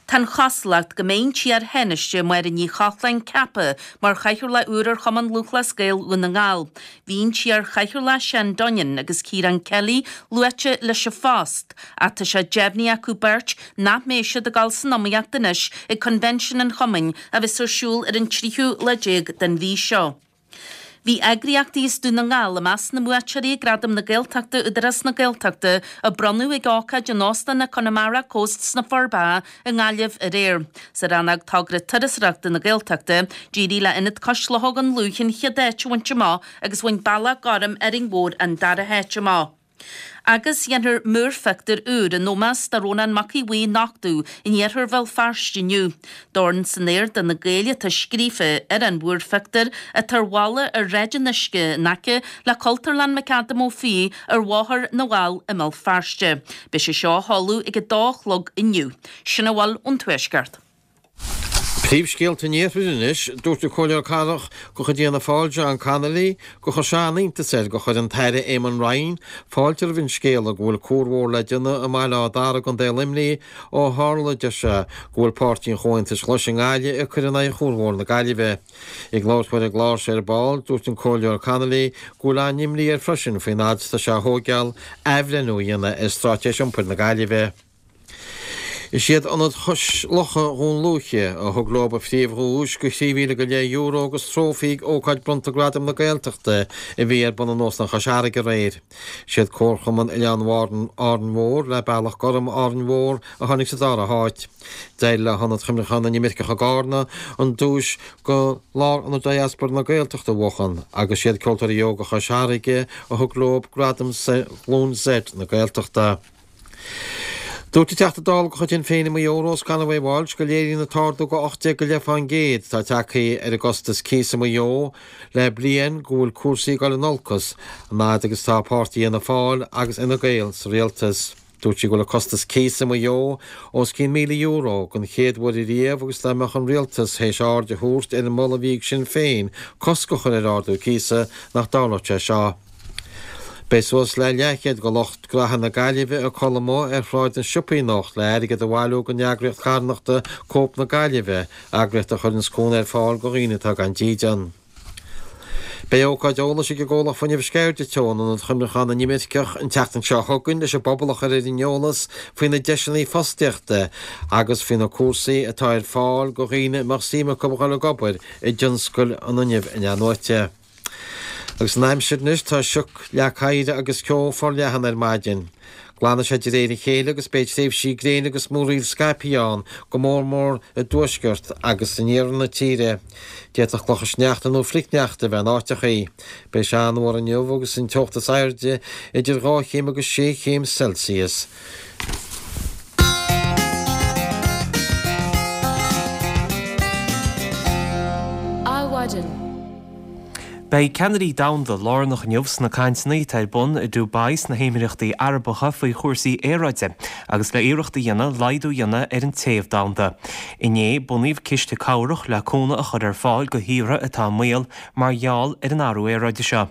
Tá an chosúlacht go mbeidh an t-iar-Thánaiste Máire Ní Chochláin ceaptha mar chathaoirleach úr ar Chumann Lúthchleas Gael Dhún na nGall. Bhí an t-iar-chathaoirleach Seán Dunnion agus Ciarán Kelly luaite leis an phost, ach tá sé deimhnithe acu beirt nach mbeidh siad ag dul san iomaíocht anois ag Convention an Chumainn a bheas ar siúl ar an tríú lá déag den mhí seo. Bhí eagraíochtaí as Dún na nGall i measc na mbuaiteoirí ag Gradaim na Gaeltachta Údarás na Gaeltachta a bronnadh ag ócáid in Óstán na Connemara Coast sna Forbacha i nGaillimh aréir. Sa rannóg Togra Turasóireachta na Gaeltachta, d'éirigh le Ionad Cois Locha Dhún Lúiche an chéad áit a bhaint amach agus bhain Bealach Gorm Árainn Mhór an dara háit amach. Agus déanfar múrphictiúr úr in ómós do Rónán Mac Aodha Bhuí a nochtadh in iarthar Bhéal Feirste inniu. Dorn san aer do na Gaeil atá scríofa ar an mhúrphictiúr atá ar bhalla ar Shráid an Uisce in aice le Cultúrlann McAdam Ó Fiaich ar Bhóthar na bhFál i mBéal Feirste. Beidh sé seo á sheoladh ag a dó a chlog inniu. Sin a bhfuil ón Tuaisceart. Príomhscéalta an Iarthair anois, Dúirt an Comhairleoir Cathrach de chuid Fhianna Fáil John Connolly gur chuir sé an-iontas air gur chuir an tAire Eamon Ryan fáilte roimh an scéala go bhfuil cuarbhóthar le déanamh i mBaile Átha Dara i gContae Luimnigh ó tharla, deir sé, go bhfuil Páirtí an Chomhaontais Ghlais i nGaillimh ag cur in aghaidh chuarbhóthar na Gaillimhe. Ag labhairt dó ar an gclár seo ar ball, dúirt an Comhairleoir Connolly go bhfuil an-imní air freisin faoin fhad is atá sé a thóigeáil athbhreithniú a dhéanamh ar Straitéis Iompair na Gaillimhe. Is iad Ionad Chois Locha Dhún Lúiche a thug leo an phríomhdhuais de thrí mhíle go leith euro agus trófaí ag ócáid bronnta Gradam na Gaeltachta a bhí ar bun in Óstán Chois Fharraige aréir. Is iad Comharchumann Oileán Árainn Mhór le Bealach Gorm Árainn Mhór a tháinig sa dara háit. D'éirigh le hIonad Chuimhneacháin na nImirceach i gCarna an duais do Lárionad Diaspora na Gaeltachta a bhuachan agus is iad Ceoltóirí Óga Chois Fharraige a thug leo gradam Ghlúin Z na Gaeltachta. Dúirt an Teachta Dála de chuid Shinn Féin i Maigh Eo, Rose Conway Walsh, go léiríonn an t-ardú de ocht déag go leith fán gcéad atá tagtha ar an gcostas cíosa i Maigh Eo le bliain go bhfuil cúrsaí ag dul in olcas an fhad agus atá páirtí Fhianna Fáil agus Fhine Gael sa rialtas. Dúirt sí go bhfuil an costas cíosa i Maigh Eo os cionn míle euro den chéad uair ariamh agus dá mbeadh an rialtas théis aird a thabhairt ar an moladh a bhí ag Sinn Féin cosc a chur ar ardú cíosa nach dtarlódh sé seo. Beidh suas le leathchéad de lucht gnaithe na Gaillimhe ag codladh amuigh ar Shráid na Siopaí anocht le airgead a bhailiú don eagraíocht charthanachta Cope na Gaillimhe, eagraíocht a chuireanns cúnamh ar fáil do dhaoine atá gan dídean. Beidh ócáid eolais ag an gcomhlacht fuinnimh Sceirde Teo in Ionad Chuimhneacháin na nImirceach an tseachtain seo chugainn leis an bpobal a chur ar an eolas faoi na deiseanna fostaíochta agus faoi na cúrsaí atá ar fáil do dhaoine a mbeadh suim acu a dhul ag obair i dtionscal an fhuinnimh in-athnuaite. Agus an aimsir anois, tá sioc, leac oighir agus ceo forleathan ar maidin. Glanfaidh sé de réir a chéile agus beidh tréimhsí gréine agus múraíl scaipthe ann, go mór mór i dtuaisceart agus in iarthar na tíre. D'fhéadfadh clocha sneachta nó flichshneachta a bheith in áiteachaí. Beidh sé an-fhuar inniu agus an teocht is airde idir dhá chéim agus sé chéim Celsius. Adhmhaidin. Beidh ceannairí domhanda lárnach inniu sna cainteanna atá ar bun i Dubai sna hÉimíríochtaí Arabacha faoi chúrsaí aeráide agus le iarracht a dhéanamh laghdú a dhéanamh ar an téamh domhanda. Inné, bunaíodh ciste cabhrach le cúnamh a chur ar fáil do thíortha atá i mbaol mar gheall ar an athrú aeráide seo.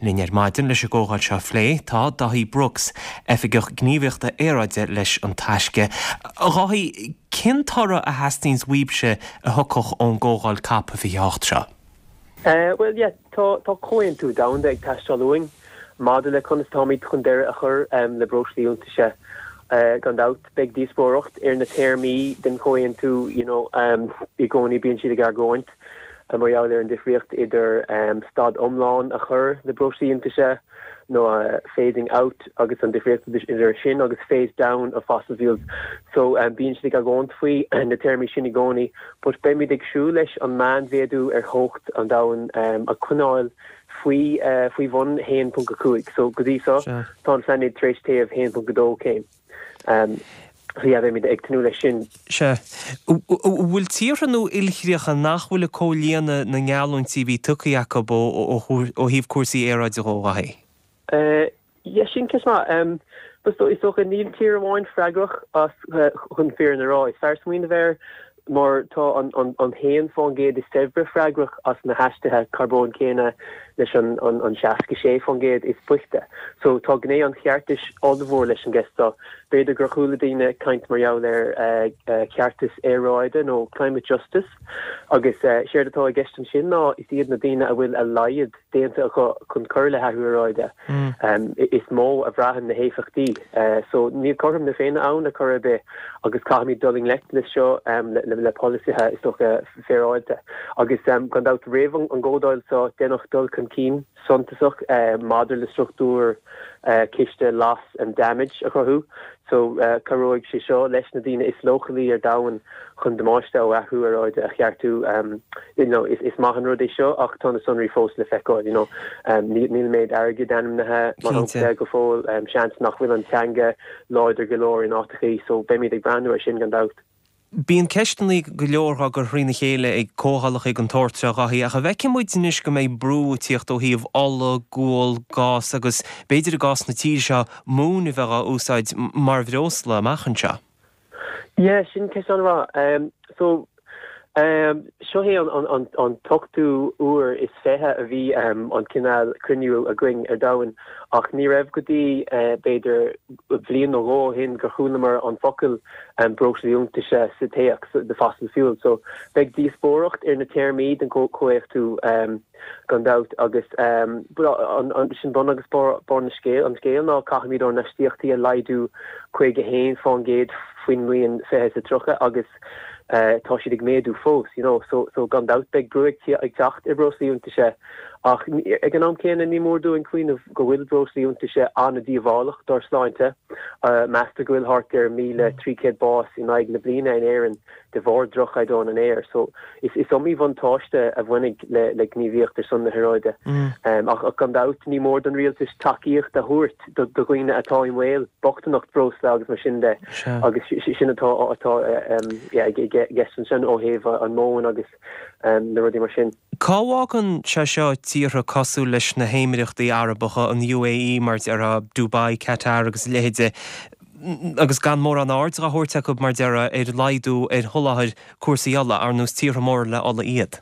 Linn ar maidin leis an gcomhdháil seo a phlé tá Dáithí Brooks, Oifigeach Gníomhaíochta Aeráide leis An Taisce. A Dháithí, cén toradh a theastaíonns uaibhse a thiocfadh ón gcomhdháil Cop fiche a hocht seo? Bhuel, yeah, tá tá comhaontú domhanda ag teastáil uainn. maidir le conas táimid chun deireadh a chur le breoslaí iontaise. Gan dabht, beidh díospóireacht ar na téarmaí den chomhaontú, you know, i gcónaí bíonn siad ag argóint mar gheall ar an difríocht idir stad iomlán a chur le breoslaí iontaise nó phasing out agus an difríocht idir sin agus phase down of fossil fuels. So bíonn siad ag argóint faoi na téarmaí sin i gcónaí, but beimid ag siúl leis an meánmhéadú ar theocht an domhain a choinneáil faoi faoi bhun haon ponc a cúig. So go dtí seo tá an pláinéad tar éis téamh haon ponc a dó céim. So yeah, beimid ag tnúth leis sin. Sea. An bhfuil tíortha nó ilchríocha nach bhfuil ag comhlíonadh na ngeallúintí a bhí tugtha acu ó thaobh cúrsaí aeráide dhó, a Dhaithí? Yeah, sin ceist maith. Is dócha níl tír amháin freagrach as chun fírinne a rá. Is fearr smaoineamh air mar tá an an haon faoin gcéad is saibhre freagrach as na hastuithe carbóin céanna leis an an seasca sé faoin gcéad is boichte. So tá gné an cheartais ollmhór leis an gceist seo. B'fhéidir gur chuala daoine caint mar gheall ar cheartas aeráide nó climate justice agus séard atá i gceist ansin ná is iad na daoine a bhfuil a laghad déanta acu chun cur le hathrú aeráide is mó a bhraitheann na héifeachtaí. So níl cothrom na Féinne ann ar chor ar bith agus caithfimid dul i ngleic leis seo le polasaithe is dócha féaráilte. Agus gan dabht roimh an gcomhdháil seo deineadh dul chun cinn suntasach maidir le struchtúr ciste loss and damage a chruthú. So cabhróidh sé seo leis na daoine is leochailí ar domhan chun damáiste ó athrú aeráide a cheartú. You know, is is maith an rud é seo ach tá na sonraí fós le feiceáil, you know. Níl méid airgid ainmnithe mar shampla go fóill, seans nach bhfuil an teanga láidir go leor in áiteachaí, so beimid ag breathnú ar sin gan dabht. Bíonn ceisteanna go leor á gcur thrína chéile ag comhdhálacha den tsórt seo, a Dhaithí, ach an bhfeiceann muid anois go mbeidh brú ag tíocht ó thaobh ola, gual, gás agus b'fhéidir i gcás na tíre seo, móin a bheith á úsáid mar bhreosla amach anseo? Yeah, sin ceist an-mhaith. So, seo é an t-ochtú uair is fiche a bhí an cineál cruinniú againn ar domhan ach ní raibh go dtí b'fhéidir bliain nó dhó ó shin gur chualamar an focal breoslaí iontaise sa téacs, the fossil fuel. So beidh díospóireacht ar na téarmaí den chomhaontú gan dabht agus sin bun agus barr na scéil, an scéil ná caithfimid ár n-astaíochtaí a laghdú caoga a haon fán gcéad faoin mbliain fiche is a tríocha agus tá siad ag méadú fós, you know, so so gan dabht beidh brú ag teacht ar breoslaí iontaise ach ag an am céanna ní mór dúinn cuimhneamh go bhfuil breoslaí iontaise an-díobhálach dár sláinte. Meastar go bhfuil thart ar míle trí chéad bás in aghaidh na bliana in Éirinn de bharr droch-chaighdeán an aeir. So is is iomaí bhuntáiste a bhainfidh le le gníomhaíocht ar son na haeráide. Ach gan dabht ní mór don rialtas tacaíocht a thabhairt do dhaoine atá i mbaol, bochtaineacht breosla agus mar sin de agus sin atá atá i gceist ansin ó thaobh an mhóin agus na rudaí mar sin. Cá bhfágann sé seo tíortha cosúil leis na hÉimireachtaí Arabacha, an U A E mar déarfá, Dubai, Qatar agus a leithéide, agus gan mórán aird á thabhairt acu mar déarfá ar laghdú ar sholáthar cúrsaí ola, ar nós tíortha móra le ola iad?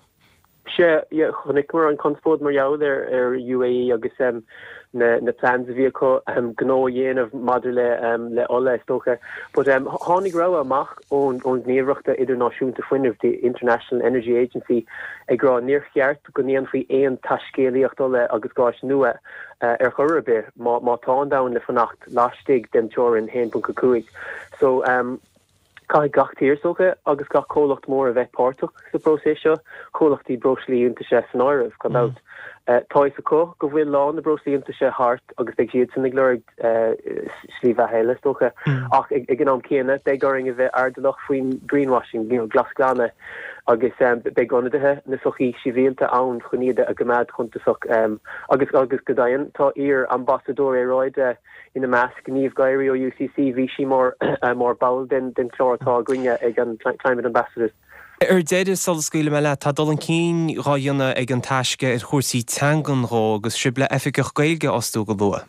Sea, chonaiceamar an conspóid mar gheall ar ar U A E agus na na plans a bhí acu gnó a dhéanamh maidir le le ola is dócha. But tháinig rabhadh amach ón ón Ghníomhaireacht Idirnáisiúnta Fuinnimh, the International Energy Agency, ag rá níor cheart go ndéanfaí aon taiscéalaíocht ola agus gáis nua ar chor ar bith má má tá an domhan le fanacht laistigh den teorainn haon ponc a cúig. So caithfidh gach tír is dócha agus gach comhlacht mór a bheith páirteach sa bpróiseas seo, comhlachtaí breoslaí iontaise san áireamh, gan dabht. Tá a fhios acu go bhfuil lá na breoslaí iontaise thart agus beidh siadsan ag lorg slí bheatha eile, is dócha. Ach ag an am céanna, beidh orainn a bheith airdeallach faoin greenwashing, you know, glasghlanadh, agus beidh ionadaithe na sochaí sibhialta ann chun iad a choimeád cuntasach. Agus agus go deimhin, tá iar-ambasadóir aeráide ina measc, Niamh Guiry ó U C C, bhí sí mar mar ball den den chlár atá againne ag an Climate Ambassadors. Ar deireadh, sula scaoilfidh mé leat, tá dul chun cinn dhá dhéanamh ag an Taisce ar chúrsaí teangan dhó agus sibh le oifigeach Gaeilge a fhostú go luath.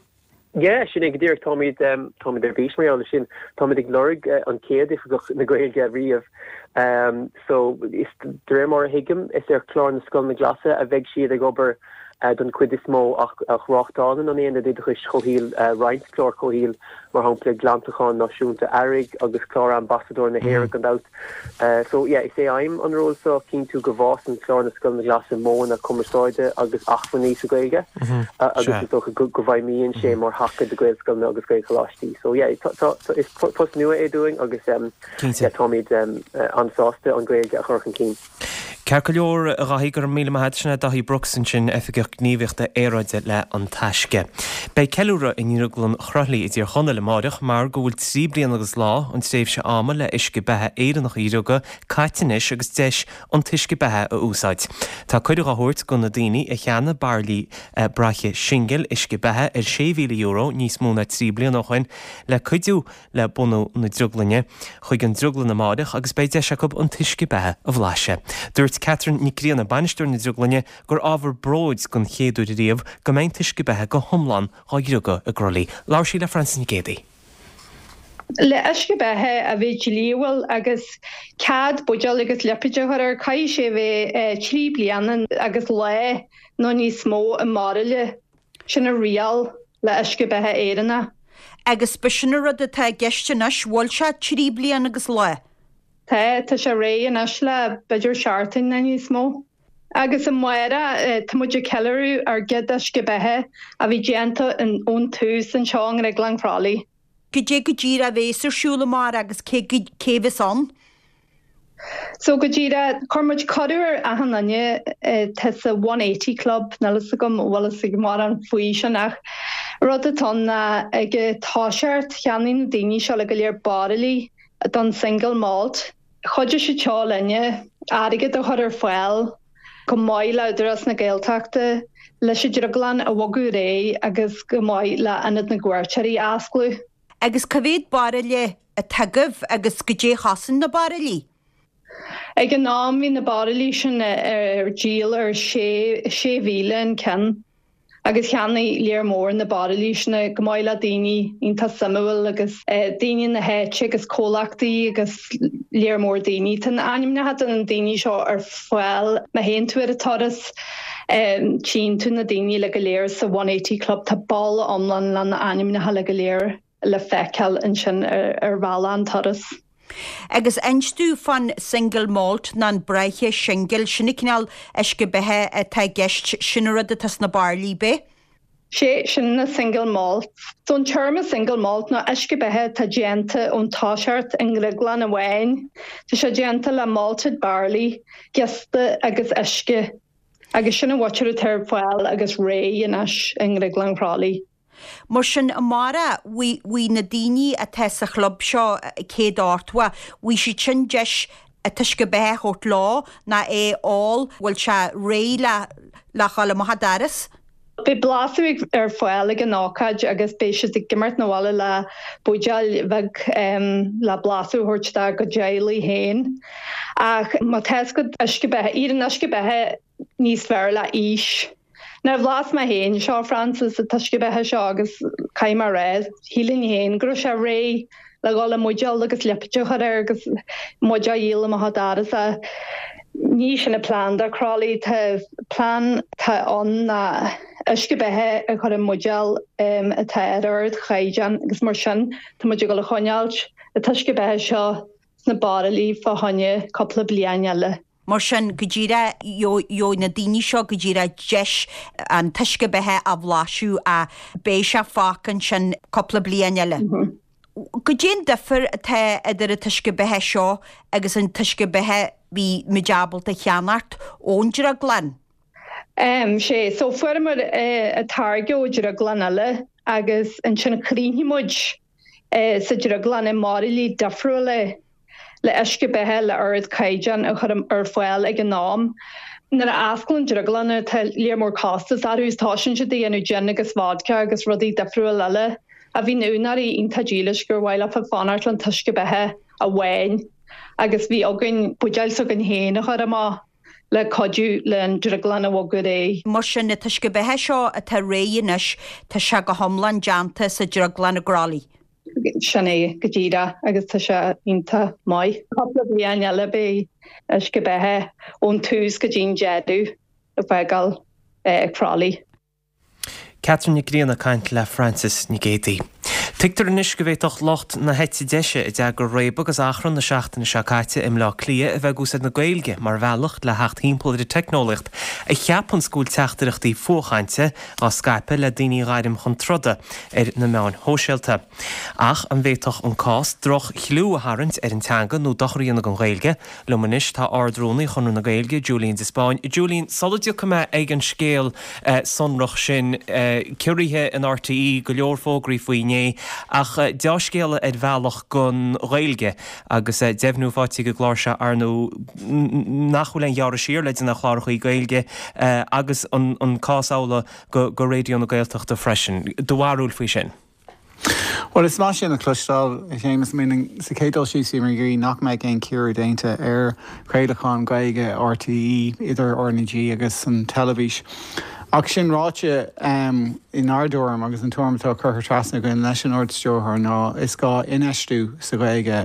Yeah, sin é go díreach, táimid táimid ar bís mar gheall air sin. Táimid ag lorg an chéad oifigeach na Gaeilge riamh. So is de réir mar a thuigim is ar chlár na Scoileanna Glasa a bheidh siad ag obair. don chuid is mó ach ach reáchtálann an Aonad Oideachais Chomhshaoil roinnt clár comhshaoil mar shampla Glantachán Náisiúnta Earraigh agus Clár Ambasadóir na hÉireann gan dabht. So yeah is é aidhm an ról seo cinntiú go bhfásann clár na Scoileanna Glasa modhanna cumarsáide agus acmhainní sa Ghaeilge agus is dócha go go bhfeidhmíonn sé mar thaca do Ghaelscoileanna agus Gaelcholáistí. So yeah tá tá is post nua é dúinn agus um, yeah, táimid um, an-sásta an Ghaeilge a chur chun cinn. Ceart go leor a Dhaithí go raibh míle maith agat sin é Daithí Brooks ansin Oifigeach Gníomhaíochta Aeráide le An Taisce. Beidh ceiliúradh i nDrioglann Chroithlí i dTír Chonaill amárach mar go bhfuil trí bliana agus lá an tréimhse ama le uisce beatha Éireannach a dhriogadh caite anois agus deis an t-uisce beatha a úsáid. Tá cuireadh á thabhairt go na daoine a cheannaigh bairillí braiche singil uisce beatha ar sé mhíle euro níos mó ná trí bliana ó shin le cuidiú le bunú na drioglainne chuig an drioglann amárach agus beidh deis acu an t-uisce beatha a bhlaiseadh. Dúirt Catherine Nic Grianna bainisteoir na drioglainne gur ábhar bróid den chéad uair riamh go mbeidh an t-uisce beatha go hiomlán á dhriogadh i gCroithlí. Labhair sí le Frances Nic Géadaigh. Le uisce beatha a bheith dlíthiúil agus cead buidéal agus lipéad a chur air, caithfidh sé a bheith trí bliana agus lá nó níos mó i mbairille. Sin an riail le uisce beatha Éireannach. Agus b'shin an rud atá i gceist anois, bhfuil sé trí bliana agus lá? Tá, tá sé réidh anois le b'fhéidir seachtain nó níos mó. Agus amárach tá muid ag ceiliúradh ár gcéad uisce beatha a bhí déanta ón tús anseo i nDrioglann Chroithlí. Goidé go díreach a bhéas ar siúl amárach agus cé cé bheas ann? So go díreach, chuir muid cuireadh ar achan duine atá sa One Eighty Club, níl fhios agam an bhfuil fhios ag mórán faoi sin ach rud atá ann ná ag an toiseacht cheannaigh na daoine seo le go léir bairillí don single malt. Chuidigh siad seo linne airgead a chur ar fáil chomh maith le Údarás na Gaeltachta leis an drioglann a bhogadh ar aghaidh agus chomh maith le Ionad na gCuairteoirí a osclú. Agus cá mhéad bairille atá agaibh agus goidé a chosain na bairillí? Ag an am bhí na bairillí sin ar díol ar sé sé mhíle an ceann agus cheannaigh léar mór na bairillí sin chomh maith le daoine iontach suimiúil agus daoine na háite agus comhlachtaí agus léar mór daoine. Tá na ainmneacha de na daoine seo ar fáil má théann tú ar an turas tchíonn tú na daoine le go léir sa One Eighty Club tá balla iomlán lena ainmneacha le go léir le feiceáil ansin ar bhalla an turas. Agus inis domh fán single malt ná an braiche singil, sin an cineál uisce beatha atá i gceist, sin an rud atá sna bairillí, b'é? Sé, sin na single malts. So an téarma single malt ná uisce beatha atá déanta ón toiseacht i ndrioglann amháin. Tá sé déanta le malted barley, giosta agus uisce. Agus sin an mhaitear atá ar fáil agus réidh anois i nDrioglann Chroithlí. Mar sin, amárach, bhfaighidh na daoine atá sa chlub seo céad ochtó, bhfaighidh siad sin deis an t-uisce beatha a thabhairt leo ná é a ól, bhfuil sé réidh le le dhul amach an doras. Beidh blaiseadh ar fáil ag an ócáid agus beidh siad ag imeacht 'na bhaile le buidéal bheag le blaiseadh a thabhairt dá gcuid teaghlaigh féin. Ach má tá fhios agat uisce beatha, éiríonn uisce beatha níos fearr le aois. Nuair a bhlas mé féin seo, Frances, an t-uisce beatha seo agus caithfidh mé a rá, shílfinn féin go raibh sé réidh le dhul i mbuidéal agus lipéad a chur air agus muid á dhíol amach an doras. Ní sin an plean do Crolly, tá plean atá ann ná uisce beatha a chur i mbuidéal atá ar ardchaighdeán agus mar sin tá muid ag dul a choinneáilt an t-uisce beatha seo sna bairillí fá choinne cúpla bliain eile. Mar sin, go díreach, gheobhaidh na daoine seo go díreach deis an t-uisce beatha a bhlaiseadh ach beidh sé fágtha ansin cúpla bliain eile. Goidé an difear atá idir an t-uisce beatha seo agus an t-uisce beatha bhí muid ábalta a cheannacht ón drioglann? Sé, so fuaireamar an táirge ó dhrioglann eile agus ansin chríochnaigh muid sa drioglann i mbairillí difriúla é. le uisce beatha le ardchaighdeán a chur ar fáil ag an am. Nuair a osclaíonn drioglanna tá léar mór costas orthu is toisíonn siad ag déanamh gin agus vodka agus rudaí difriúil eile ach bhí na úinéirí iontach dílis gur mhaith leofa fanacht le an t-uisce beatha amháin agus bhí againn buidéil s'againn féin a chur amach le cuidiú le an drioglann a bhogadh ar aghaidh. Mar sin, an t-uisce beatha seo atá réidh anois, tá sé go hiomlán déanta sa drioglann i gCroithlí. Sin é go díreach agus tá sé iontach maith. Cúpla bliain eile beidh uisce beatha ón tús go dtí'n deireadh ag fágáil crálaí. Catherine Nic Grianna ag caint le Frances Nic Géadaigh. Tuigtear anois go bhféadfadh lucht na heite deise a d'eagraigh réabadh agus achrann na seachtaine seo caite i mBleá Cliath a bheith ag úsáid na Gaeilge mar bhealach le theacht thimpeall ar an teicneolaíocht a cheapanns go bhfuil teachtaireachtaí fuathchainte á scaipeadh le daoine a ghairm chun troda ar na meáin shóisialta. Ach an bhféadfadh an cás droch-chliú a tharraingt ar an teanga nó dochar a dhéanamh don Ghaeilge? Liom anois tá Ard-Rúnaí Chonradh na Gaeilge, Julian de Spáinn. Julian, sula dtiocfaidh mé ag an scéal sonrach sin, ciorruithe in RTÉ, go leor fógraí faoi inné, ach deá-scéala ar bhealach don Ghaeilge agus deimhniú faighte ag an gclár seo, ar ndóigh, nach bhfuil aon ghearradh siar le déanamh ar chlárachaí Gaeilge agus an cás amhlaidh do Raidió na Gaeltachta freisin. Do bharúil faoi sin? Bhuel, is maith sin a chloisteáil, a Shéamus. I mean, sa chéad dul síos, bhíomar ag iarraidh nach mbeadh aon ciorrú déanta ar chraolachán Gaeilge RTÉ, idir RnaG agus an teilifís. Ach sin ráite, inár dtuairim, agus an tuairim atá curtha trasna againn leis an Ard-Stiúrthóir, ná is gá infheistiú sa Ghaeilge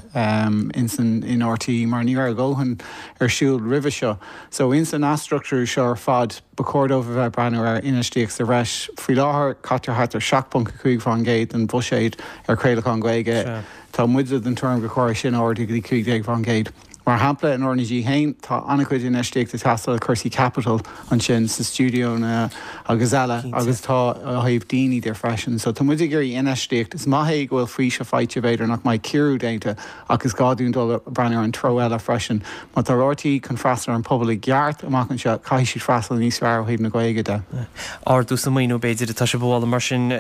ins an in RTÉ mar ní raibh a dhóthain ar siúl roimhe seo. So ins an athstruchtúrú seo ar fad, ba chóir dóibh a bheith ag breathnú ar infheistíocht sa bhreis. Faoi láthair, caitear thart ar seacht ponc a cúig faoin gcéad den bhuiséad ar chraolachán Gaeilge. Tá muide den tuairim gur chóir é sin a ardú go dtí cúig déag faoin gcéad. Mar shampla, in RnaG féin, tá an-chuid infheistíochta ag teastáil cúrsaí caipitil ansin sa stiúideonna agus eile agus tá ó thaobh daoine de freisin. So tá muid ag iarraidh infheistíocht. Is maith é go bhfuil faoiseamh faighte, b'fhéidir nach mbeidh ciorrú déanta ach is gá dúinn dul ag breathnú ar an treo eile freisin. Má tá RTÉ chun freastal ar an pobal i gceart amach anseo, caithfidh siad freastal níos fearr ó thaobh na Gaeilge de. Ardú sa maoiniú b'fhéidir atá sibh a mholadh mar sin,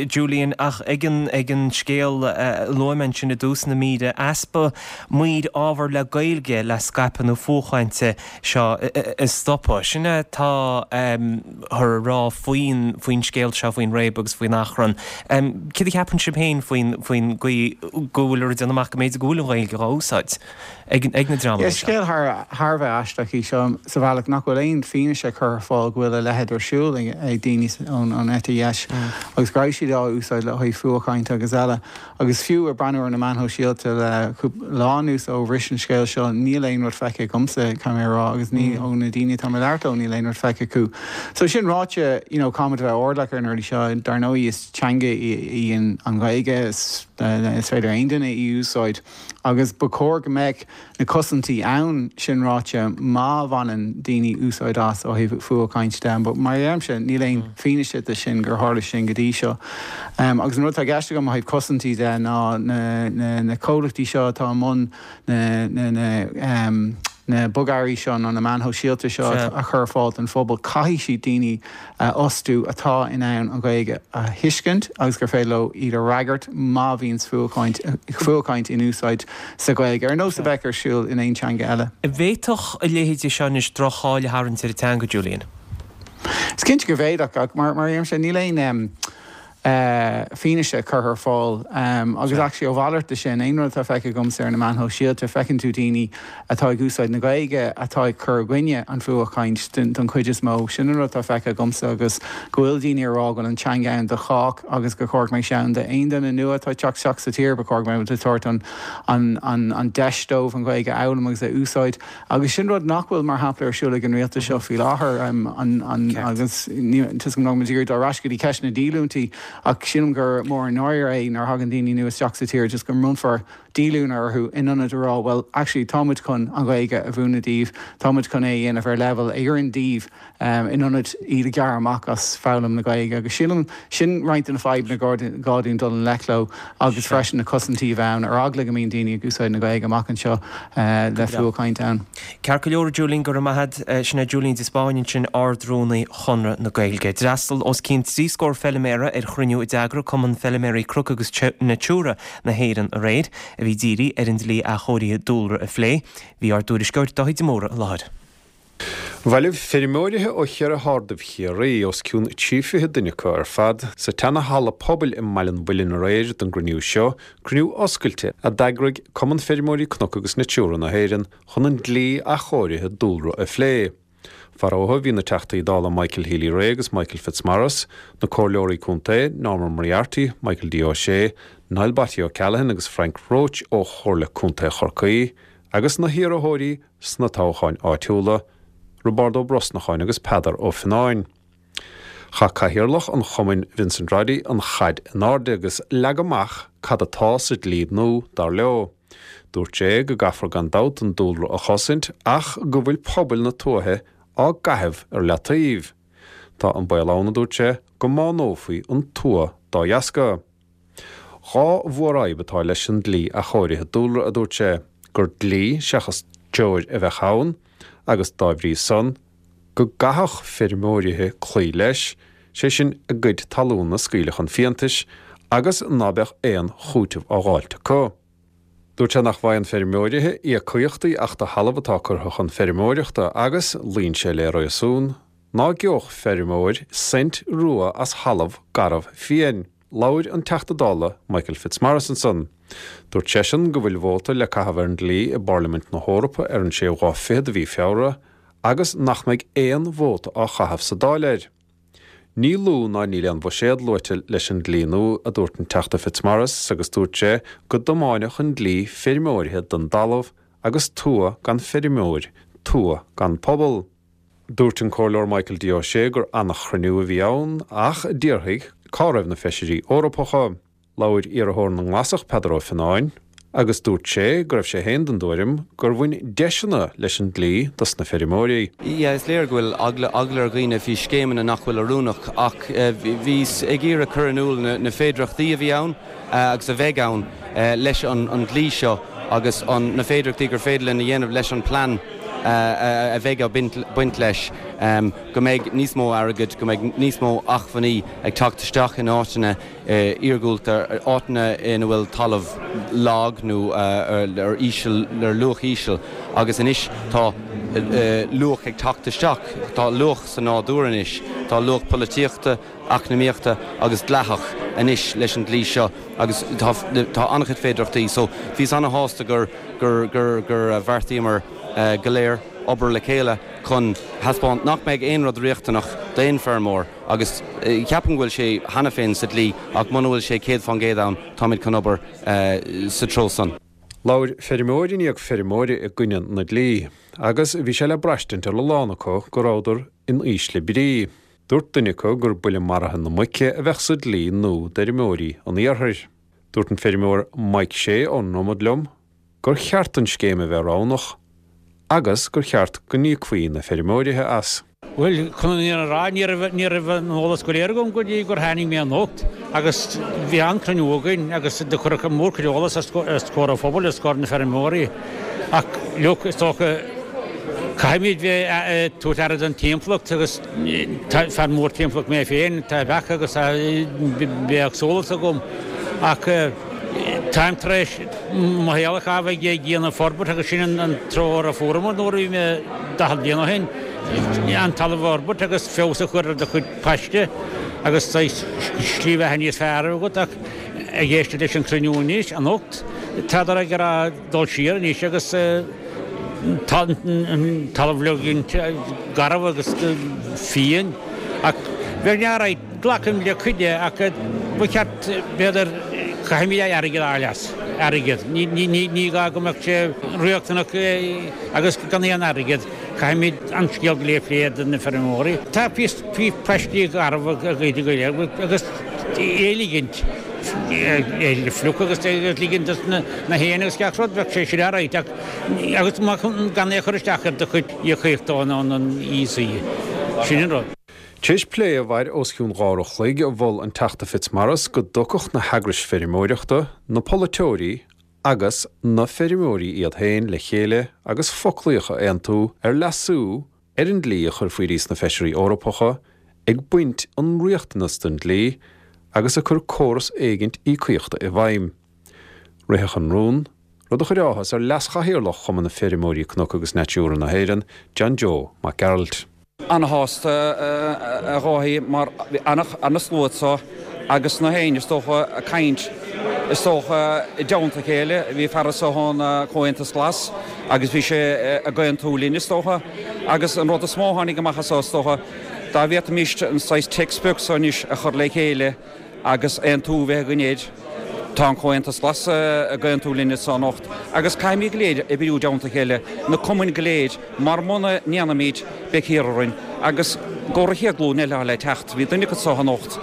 Julian, ach ag an ag an scéal a luaigh mé ansin i dtús na míre, easpa maoir ábhar le Gaeilge le scaipeadh na fuathchainte seo a stopadh. Sin é atá thar a rá faoin faoin scéal seo, faoin réabadh agus faoin achrann. Céard a cheapann sibh féin faoin faoin gcaoi go bhfuil ag déanamh amach go mb'fhéidir go bhfuil an Ghaeilge á úsáid ag ag na dreamanna Is seo? scéal thar thar a bheith aisteach í seo sa bhealach nach bhfuil aon fianaise curtha ar fáil go bhfuil a leithéid ar siúl ag daoine ón ón eite dheis agus go raibh siad á úsáid le haghaidh fuathchaint agus eile. Agus fiú ag breathnú ar na meáin shóisialta le cúpla lá anuas ó bhris an scéal seo, níl aon rud feicthe agamsa, caithfidh mé a rá, agus ní ó na daoine atá mé ag labhairt leo, níl aon rud feicthe acu. So sin ráite, you know, caithfimid a bheith airdeallach ar na rudaí seo. Dar ndóigh, is teanga í an Ghaeilge, is is féidir aon duine í a úsáid agus ba chóir go mbeadh na cosaintí ann, sin ráite, má bhaineann daoine úsáid as ó thaobh fuathchaint de. But mar a deirimse, níl aon fianaise de sin gur tharla sin go dtí seo. Agus an rud atá i gceist agam ó thaobh cosaintí de ná na comhlachtaí seo atá i mbun na na bogearraí seo nó na meáin shóisialta seo a chur ar fáil don phobal, caithfidh siad daoine a fhostú atá in ann an Ghaeilge a thuiscint agus gur féidir leo iad a fhreagairt má bhíonns fuathchaint fuathchaint in úsáid sa Ghaeilge, ar nós a bheadh ar siúl in aon teanga eile. An bhféadfadh a leithéidí seo anois droch-cháil a tharraingt ar an teanga, Julian? Is cinnte go bhféadfadh, ach mar a deirimse, níl aon fianaise curtha ar fáil. Agus actually a mhalairt de sin, aon rud atá feicthe agamsa ar na meáin shóisialta, feiceann tú daoine atá ag úsáid na Gaeilge atá ag cur i gcoinne an fuathchaint don chuid is mó. Sin an rud atá feicthe agamsa agus go bhfuil daoine ag rá go bhfuil an teanga ann do chách agus gur chóir go mbeadh sé ann d'aon duine nua atá ag teacht isteach sa tír, ba chóir go mbeadh muid ag tabhairt an an deis dóibh an Ghaeilge a fhoghlaim agus a úsáid. Agus sin rud nach bhfuil, mar shampla, ar siúl ag an rialtas seo faoi láthair, agus tá 's agam nach bhfuil muid ag iarraidh dul ar ais go dtí ceist na díolúintí, ach sílim gur mór an náire é nuair a thagann daoine nua isteach sa tír just go mbronnfar díolúine orthu in ionad a rá bhuel, actually, tá muid chun an Ghaeilge a mhúineadh daoibh, tá muid chun é a dhéanamh ar leibhéal a oireann daoibh. in ionad iad a ghearradh amach as foghlaim na Gaeilge agus sílim sin roinnt de na fadhbanna gur gá dúinn dul i ngleic leo agus freisin na cosaintí a bheith ann ar eagla go mbíonn daoine ag úsáid na Gaeilge amach anseo le fuathchaint ann. Ceart go leor, a Julian, go raibh maith agat. Sin é Julian de Spáinn ansin, Ard-Rúnaí Chonradh na Gaeilge. D'fhreastail os cionn trí scór feiliméara ar chruinniú a d'eagraigh Cumann Feiliméaraí Cnoc agus Natura na hÉireann aréir, a bhí dírithe ar an dlí athchóirithe dúlra a phlé. Bhí ár dtuairisceoir Dáithí de Mórdha i láthair. Bhailigh feirmeoirithe ó cheithre hardaibh Chiarraí, os cionn trí fiche duine acu ar fad, sa tseana-halla pobail i mBaile an Mhuilinn aréir don gcruinniú seo, cruinniú oscailte a d'eagraigh Cumann Feirmeoirí Cnoc agus Natura na hÉireann chun an dlí athchóirithe dúlra a phlé. Faraotha bhí na Teachtaí Dála Michael Healy-Rae agus Michael Fitzmaurice, na Comhairleoirí Contae Norma Moriarty, Michael D. O'Shea, Niall Batty O'Callaghan agus Frank Roche ó Chomhairle Contae Chorcaí, agus na hiarrthóirí sna toghcháin áitiúla, Roibeárd Ó Brosnacháin agus Peadar Ó Fionnáin. Chaith Cathaoirleach an chumainn Vincent Roddy an chaid in airde agus leag amach cad atá sa dlí nua, dar leo. Dúirt sé go gcaithfear gan dabht an dúlra a chosaint ach go bhfuil pobail na tuaithe á gcaitheamh ar leataobh. Tá an baol ann, a dúirt sé, go mbánófaí an tuath dá dheasca. Dhá mhórfhadhb atá leis an dlí athchóirithe dúlra, a dúirt sé, gur dlí seachas treoir a bheadh ann agus dá bhrí san, go gcaithfeadh feirmeoirithe cloí leis, sé sin a gcuid talún a scaoileadh chun fiántais agus ná beadh aon chúiteamh á dh'fháilt acu. Dúirt sé nach bhfaigheann feirmeoirithe íocaíochtaí ach do thalamh atá curtha chun feirmeoireachta agus, luíonn sé le réasún, ná geobhadh feirmeoir cent rua as thalamh garbh fiáin. Labhair an Teachta Dála Michael Fitzmaurice ansan. Dúirt seisean go bhfuil vóta le caitheamh ar an dlí i bParlaimint na hEorpa ar an séú lá fichead de mhí Feabhra agus nach mbeidh aon vóta á chaitheamh sa Dáil air. Ní lú ná níl aon bhuiséad luaite leis an dlí nua, a dúirt an Teachta Fitzmaurice agus dúirt sé go dtiomáinfeadh an dlí feirmeoirithe den dtalamh agus tuath gan feirmeoir, tuath gan pobal. Dúirt an Comhairleoir Michael D. Ó Sé gur an-chruinniú a bhí ann ach d'fhiafraigh cá raibh na feisirí Eorpacha. Labhair iarrthóir na nGlasach Peadar Ó Fionnáin agus dúirt sé go raibh sé féin den dtuairim gur bhain deiseanna leis an dlí dos na feirmeoirí. Yeah, is léir go bhfuil eagla eagla ar dhaoine faoi scéimeanna nach bhfuil oiriúnach ach bhíos ag iarraidh cur in iúl na féidearthachtaí a bhí ann agus a bheidh ann leis an dlí seo agus na féidearthachtaí gur féidir linn a dhéanamh leis an plean a bheidh á baint leis, go mbeidh níos mó airgid, go mbeidh níos mó acmhainní ag teacht isteach in áiteanna iargúlta, áiteanna ina bhfuil talamh lag nó ar íseal, ar luach íseal agus anois tá luach ag teacht isteach, tá luach sa nádúr anois, tá luach polaitíochta, eacnamaíochta agus dleathach anois leis an dlí seo agus tá tá an-chuid féidearthachtaí so bhíos ana-shásta gur gur gur gur bheartaíomar go léir obair le chéile chun thaispeáint nach mbeidh aon rud riachtanach d'aon feirmeoir agus ceapaim go bhfuil sé cheana féin sa dlí ach muna bhfuil sé céad fán gcéad ann táimid chun obair sa treo san. Labhair feirmeoir i ndiaidh feirmeora i gcoinne na dlí agus bhí sé le braistint ar a lán acu go rabhadar in ísle brí. Dúirt duine acu gur buille maraithe na muice a bheadh sa dlí nua d'fheirmeoirí an iarthair. Dúirt an feirmeoir Mike Shea ón nDromad liom gur cheart an scéim a bheith roghnach agus gur cheart go n-íocfaí na feirmeoirithe as. Bhuel, chun an fhírinne a rá, ní raibh, ní raibh an eolas go léir agam go dtí gur tháinig mé anocht agus bhí an-chruinniú againn agus do cuireadh mórchuid eolas os comhair an phobail, os comhair na feirmeoirí. Ach, look, is dócha, Caithfimid bheith ag tabhairt aire don timpeallacht agus fear mór timpeallacht mé féin, tá beacha agus tá bithéagsúlacht agam ach táim tar éis mo shaol a chaitheamh ag déanamh forbairt agus sin an treoir a fuaireamar nuair a bhí mé daichead bliain ó shin, an talamh a fhorbairt agus feabhas a chur ar do chuid paiste agus saghas slí bheatha níos fearr agat ach ag éisteacht leis an chruinniú anois, anocht, tádar ag rá dul siar anois agus. Talamh a ligint garbh agus fiáin ach bheadh alright, glacaim le cuid de ach ba cheart, b'fhéidir, caithfimid airgead a fháil as, airgead. Ní gá go mbeadh sé riachtanach agus gan aon airgead, caithfimid an scéal go léir a phlé do na feirmeoirí. Tá paistí garbh go léir agus é ligint é fliuch agus ligint dos na héin agus gach rud, bheadh sé sin alright ach Agus gan é a chur isteach ar do chuid íocaíochta ón an E C. Sin an rud. Tar éis plé a mhair os cionn dhá uair a chloig, mhol an Teachta Fitzmaurice go dtiocfadh na heagrais feirmeoireachta, na polaiteoirí agus na feirmeoirí iad féin le chéile agus foclaíocht a aontú ar leasú ar an dlí a chur faoi sna Feisirí Eorpacha, ag baint an riachtanas den dlí agus ag cur córas éigint íocaíochta i bhfeidhm. Ritheadh an rún, rud a chuir áthas ar leas-chathaoirleach Chumann na Feirmeoirí Cnoc agus Natura na hÉireann, John Joe Mac Gearailt. Ana-shásta a Dháithí mar bhí ana-slua anso agus na héinne is dócha ag caint is dócha i dteannta a chéile. Bhí fear anso ón Chomhaontas Glas agus bhí sé ag aontú linn is dócha agus an rud is mó a tháinig amach as so is dócha dá bhféadfaimis an saghas téacs beag so anois a chur le chéile agus aontú a bheith againn air. Tá an Comhaontas Glas ag aontú linn anso anocht agus caithfimid go léir oibriú i dteannta a chéile, na cumainn go léir, mar muna ndéanaimid beidh thiar orainn agus gcomhair an chéad ghlúin eile atá le teacht. Bhí duine acu anso anocht,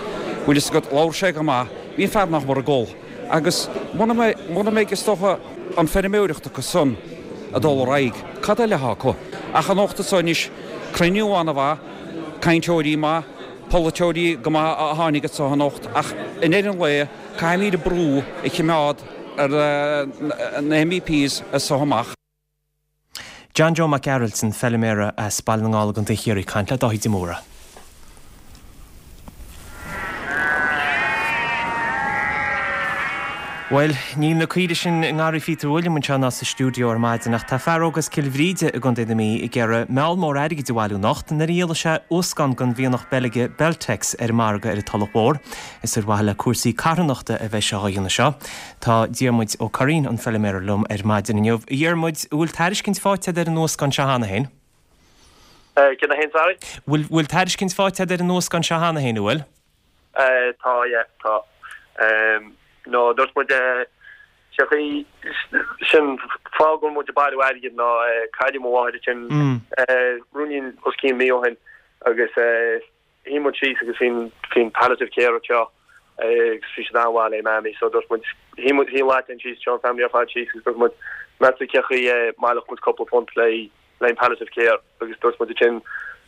bhfuil fhios agat, labhair sé go maith, bhí an fear nach mór ag gol. Agus muna mbeidh, muna mbeidh is dócha an feirmeoireacht acu san ag dul ar aghaidh, cad eile atá acu? Ach anocht anso anois, cruinniú an-mhaith, cainteoirí maith, polaiteoirí go maith a tháinig anso anocht ach i ndeireadh an lae caithfimid brú a chimeád ar na MEPs as so amach. John Joe Mac Gearailt, an feilméara as Baile na nGall i gContae Chiarraí, ag caint le Dáithí de Mórdha. Bhuel, níl na caoirigh sin i ngarraí Phíotair Uilliam anseo ná sa stiúideo ar maidin ach tá fear óg as Cill Bhríde i gContae na Mí ag iarraidh meall mór airgid a bhailiú anocht nuair a dhíolfaidh sé uascán den mhianach Beilge Beltex ar an margadh ar an Tulach Mhór. Is ar mhaithe le cúrsaí carthanachta a bheidh sé á dhéanamh seo. Tá Diarmuid Ó Curraoin, an feilméara, liom ar maidin inniu. A Dhiarmuid, an bhfuil tairiscint faighte agat ar an uascán seo cheana féin? Cén a haon, sorry? Bhfuil bhfuil tairiscint faighte agat ar an uascán seo cheana féin, an bhfuil? Tá, yeah, tá. No, dúirt muid, sé chaoi, sin fáth go bhfuil muid ag bailiú airgid ná cailleadh mo mháthair ansin ruainnín os cionn mí ó shin agus shuigh muid síos agus bhí an palliative care anseo agus bhí siad an-mhaith le Mammy so dúirt muid, shuigh muid, shuigh an leaid síos, seo an family ar fad síos agus dúirt muid, meas tú cé chaoi a mbaileodh muid cúpla punt le le an palliative care agus dúirt muid ansin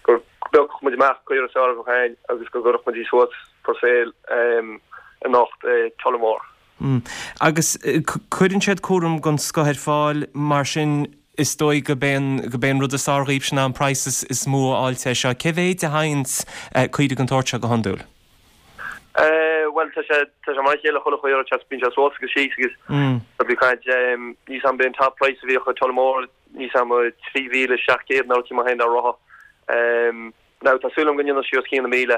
go bpiocfadh muid amach caora is fearr a bheadh againn agus go gcuirfeadh muid í suas for sale anocht i Tullamore. Agus cuireann siad cúram den scoth ar fáil, mar sin is dóigh go b'é an, go b'é an rud is fearr dhaoibhse ná an praghas is mó a fháil air seo. Cé mhéid a thaganns caoire den tsórt seo go hiondúil? Bhuel, tá sé, tá sé mar a chéile chuile chaora, tá, bíonn sé suas agus síos agus tá bí caint, níl 's a'm b'é an top price a bhíodh i Tullamore, níl 's a'm trí mhíle seacht gcéad nó rud mar sin dá rotha. Now tá súil agam go ndéanfaidh sí os cionn na míle,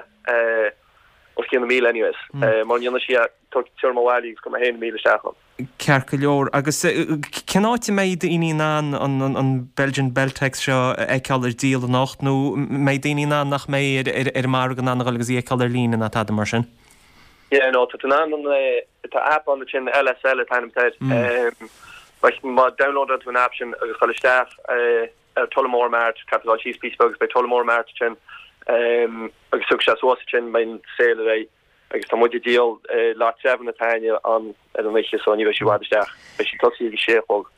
os cionn na míle anyways, mura ndéanfaidh sí tabharfaidh mé abhaile í agus cuirfidh mé féin míle isteach ann. Ceart go leor. Agus cén áit a mbeidh daoine in ann an Belgian Beltex seo a fheiceáil ar díol anocht nó mbeidh daoine in ann nach mbeidh ar an margadh in ann a dhul agus í a fheiceáil ar líne ná tada mar sin? Yeah no tá tú in ann an tá app ann ansin LSL an t-ainm atá air. Má downloadann tú an app sin agus dul isteach ar Tullamore Mart, caithfidh tú dul síos píosa beag agus beidh Tullamore Mart ansin agus tiocfaidh sé suas ansin, beidh an sale ar aghaidh agus tá muid ag díol lot seven atá againne ann ar an oíche so ní bheidh sí i bhfad isteach, beidh sí tosaithe ag a sé a chlog.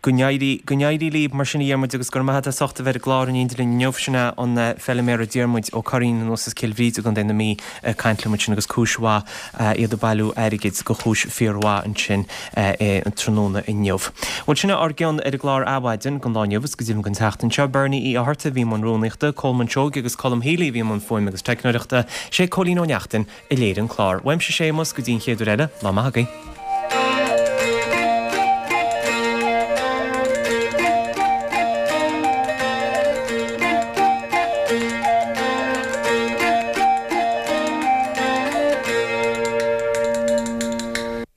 Go n-éirí, go n-éirí libh mar sin a Dhiarmuid agus go raibh maith agat as ucht a bheith ar an gclár in éindí linn inniu. Sin é an feilméara Diarmuid Ó Curraoin anuas as Cill Bhríde i gContae na Mí ag caint liom ansin agus cúis mhaith iad ag bailiú airgid do chúis fíormhaith ansin tráthnóna inniu. Bhuel sin é ár gcion ar an gclár Adhmhaidin don lá inniu agus go deimhin don tseachtain seo. Bernie Uí Fhátharta a bhí i mbun rúnaíochta, Colman Seoighe agus Colm Healy a bhí i mbun fuaime agus teicneoireachta. Sé Cóilín Ó Neachtain a léirigh an clár. Uaimse Séamus go dtí an chéad uair eile, lá maith agaibh.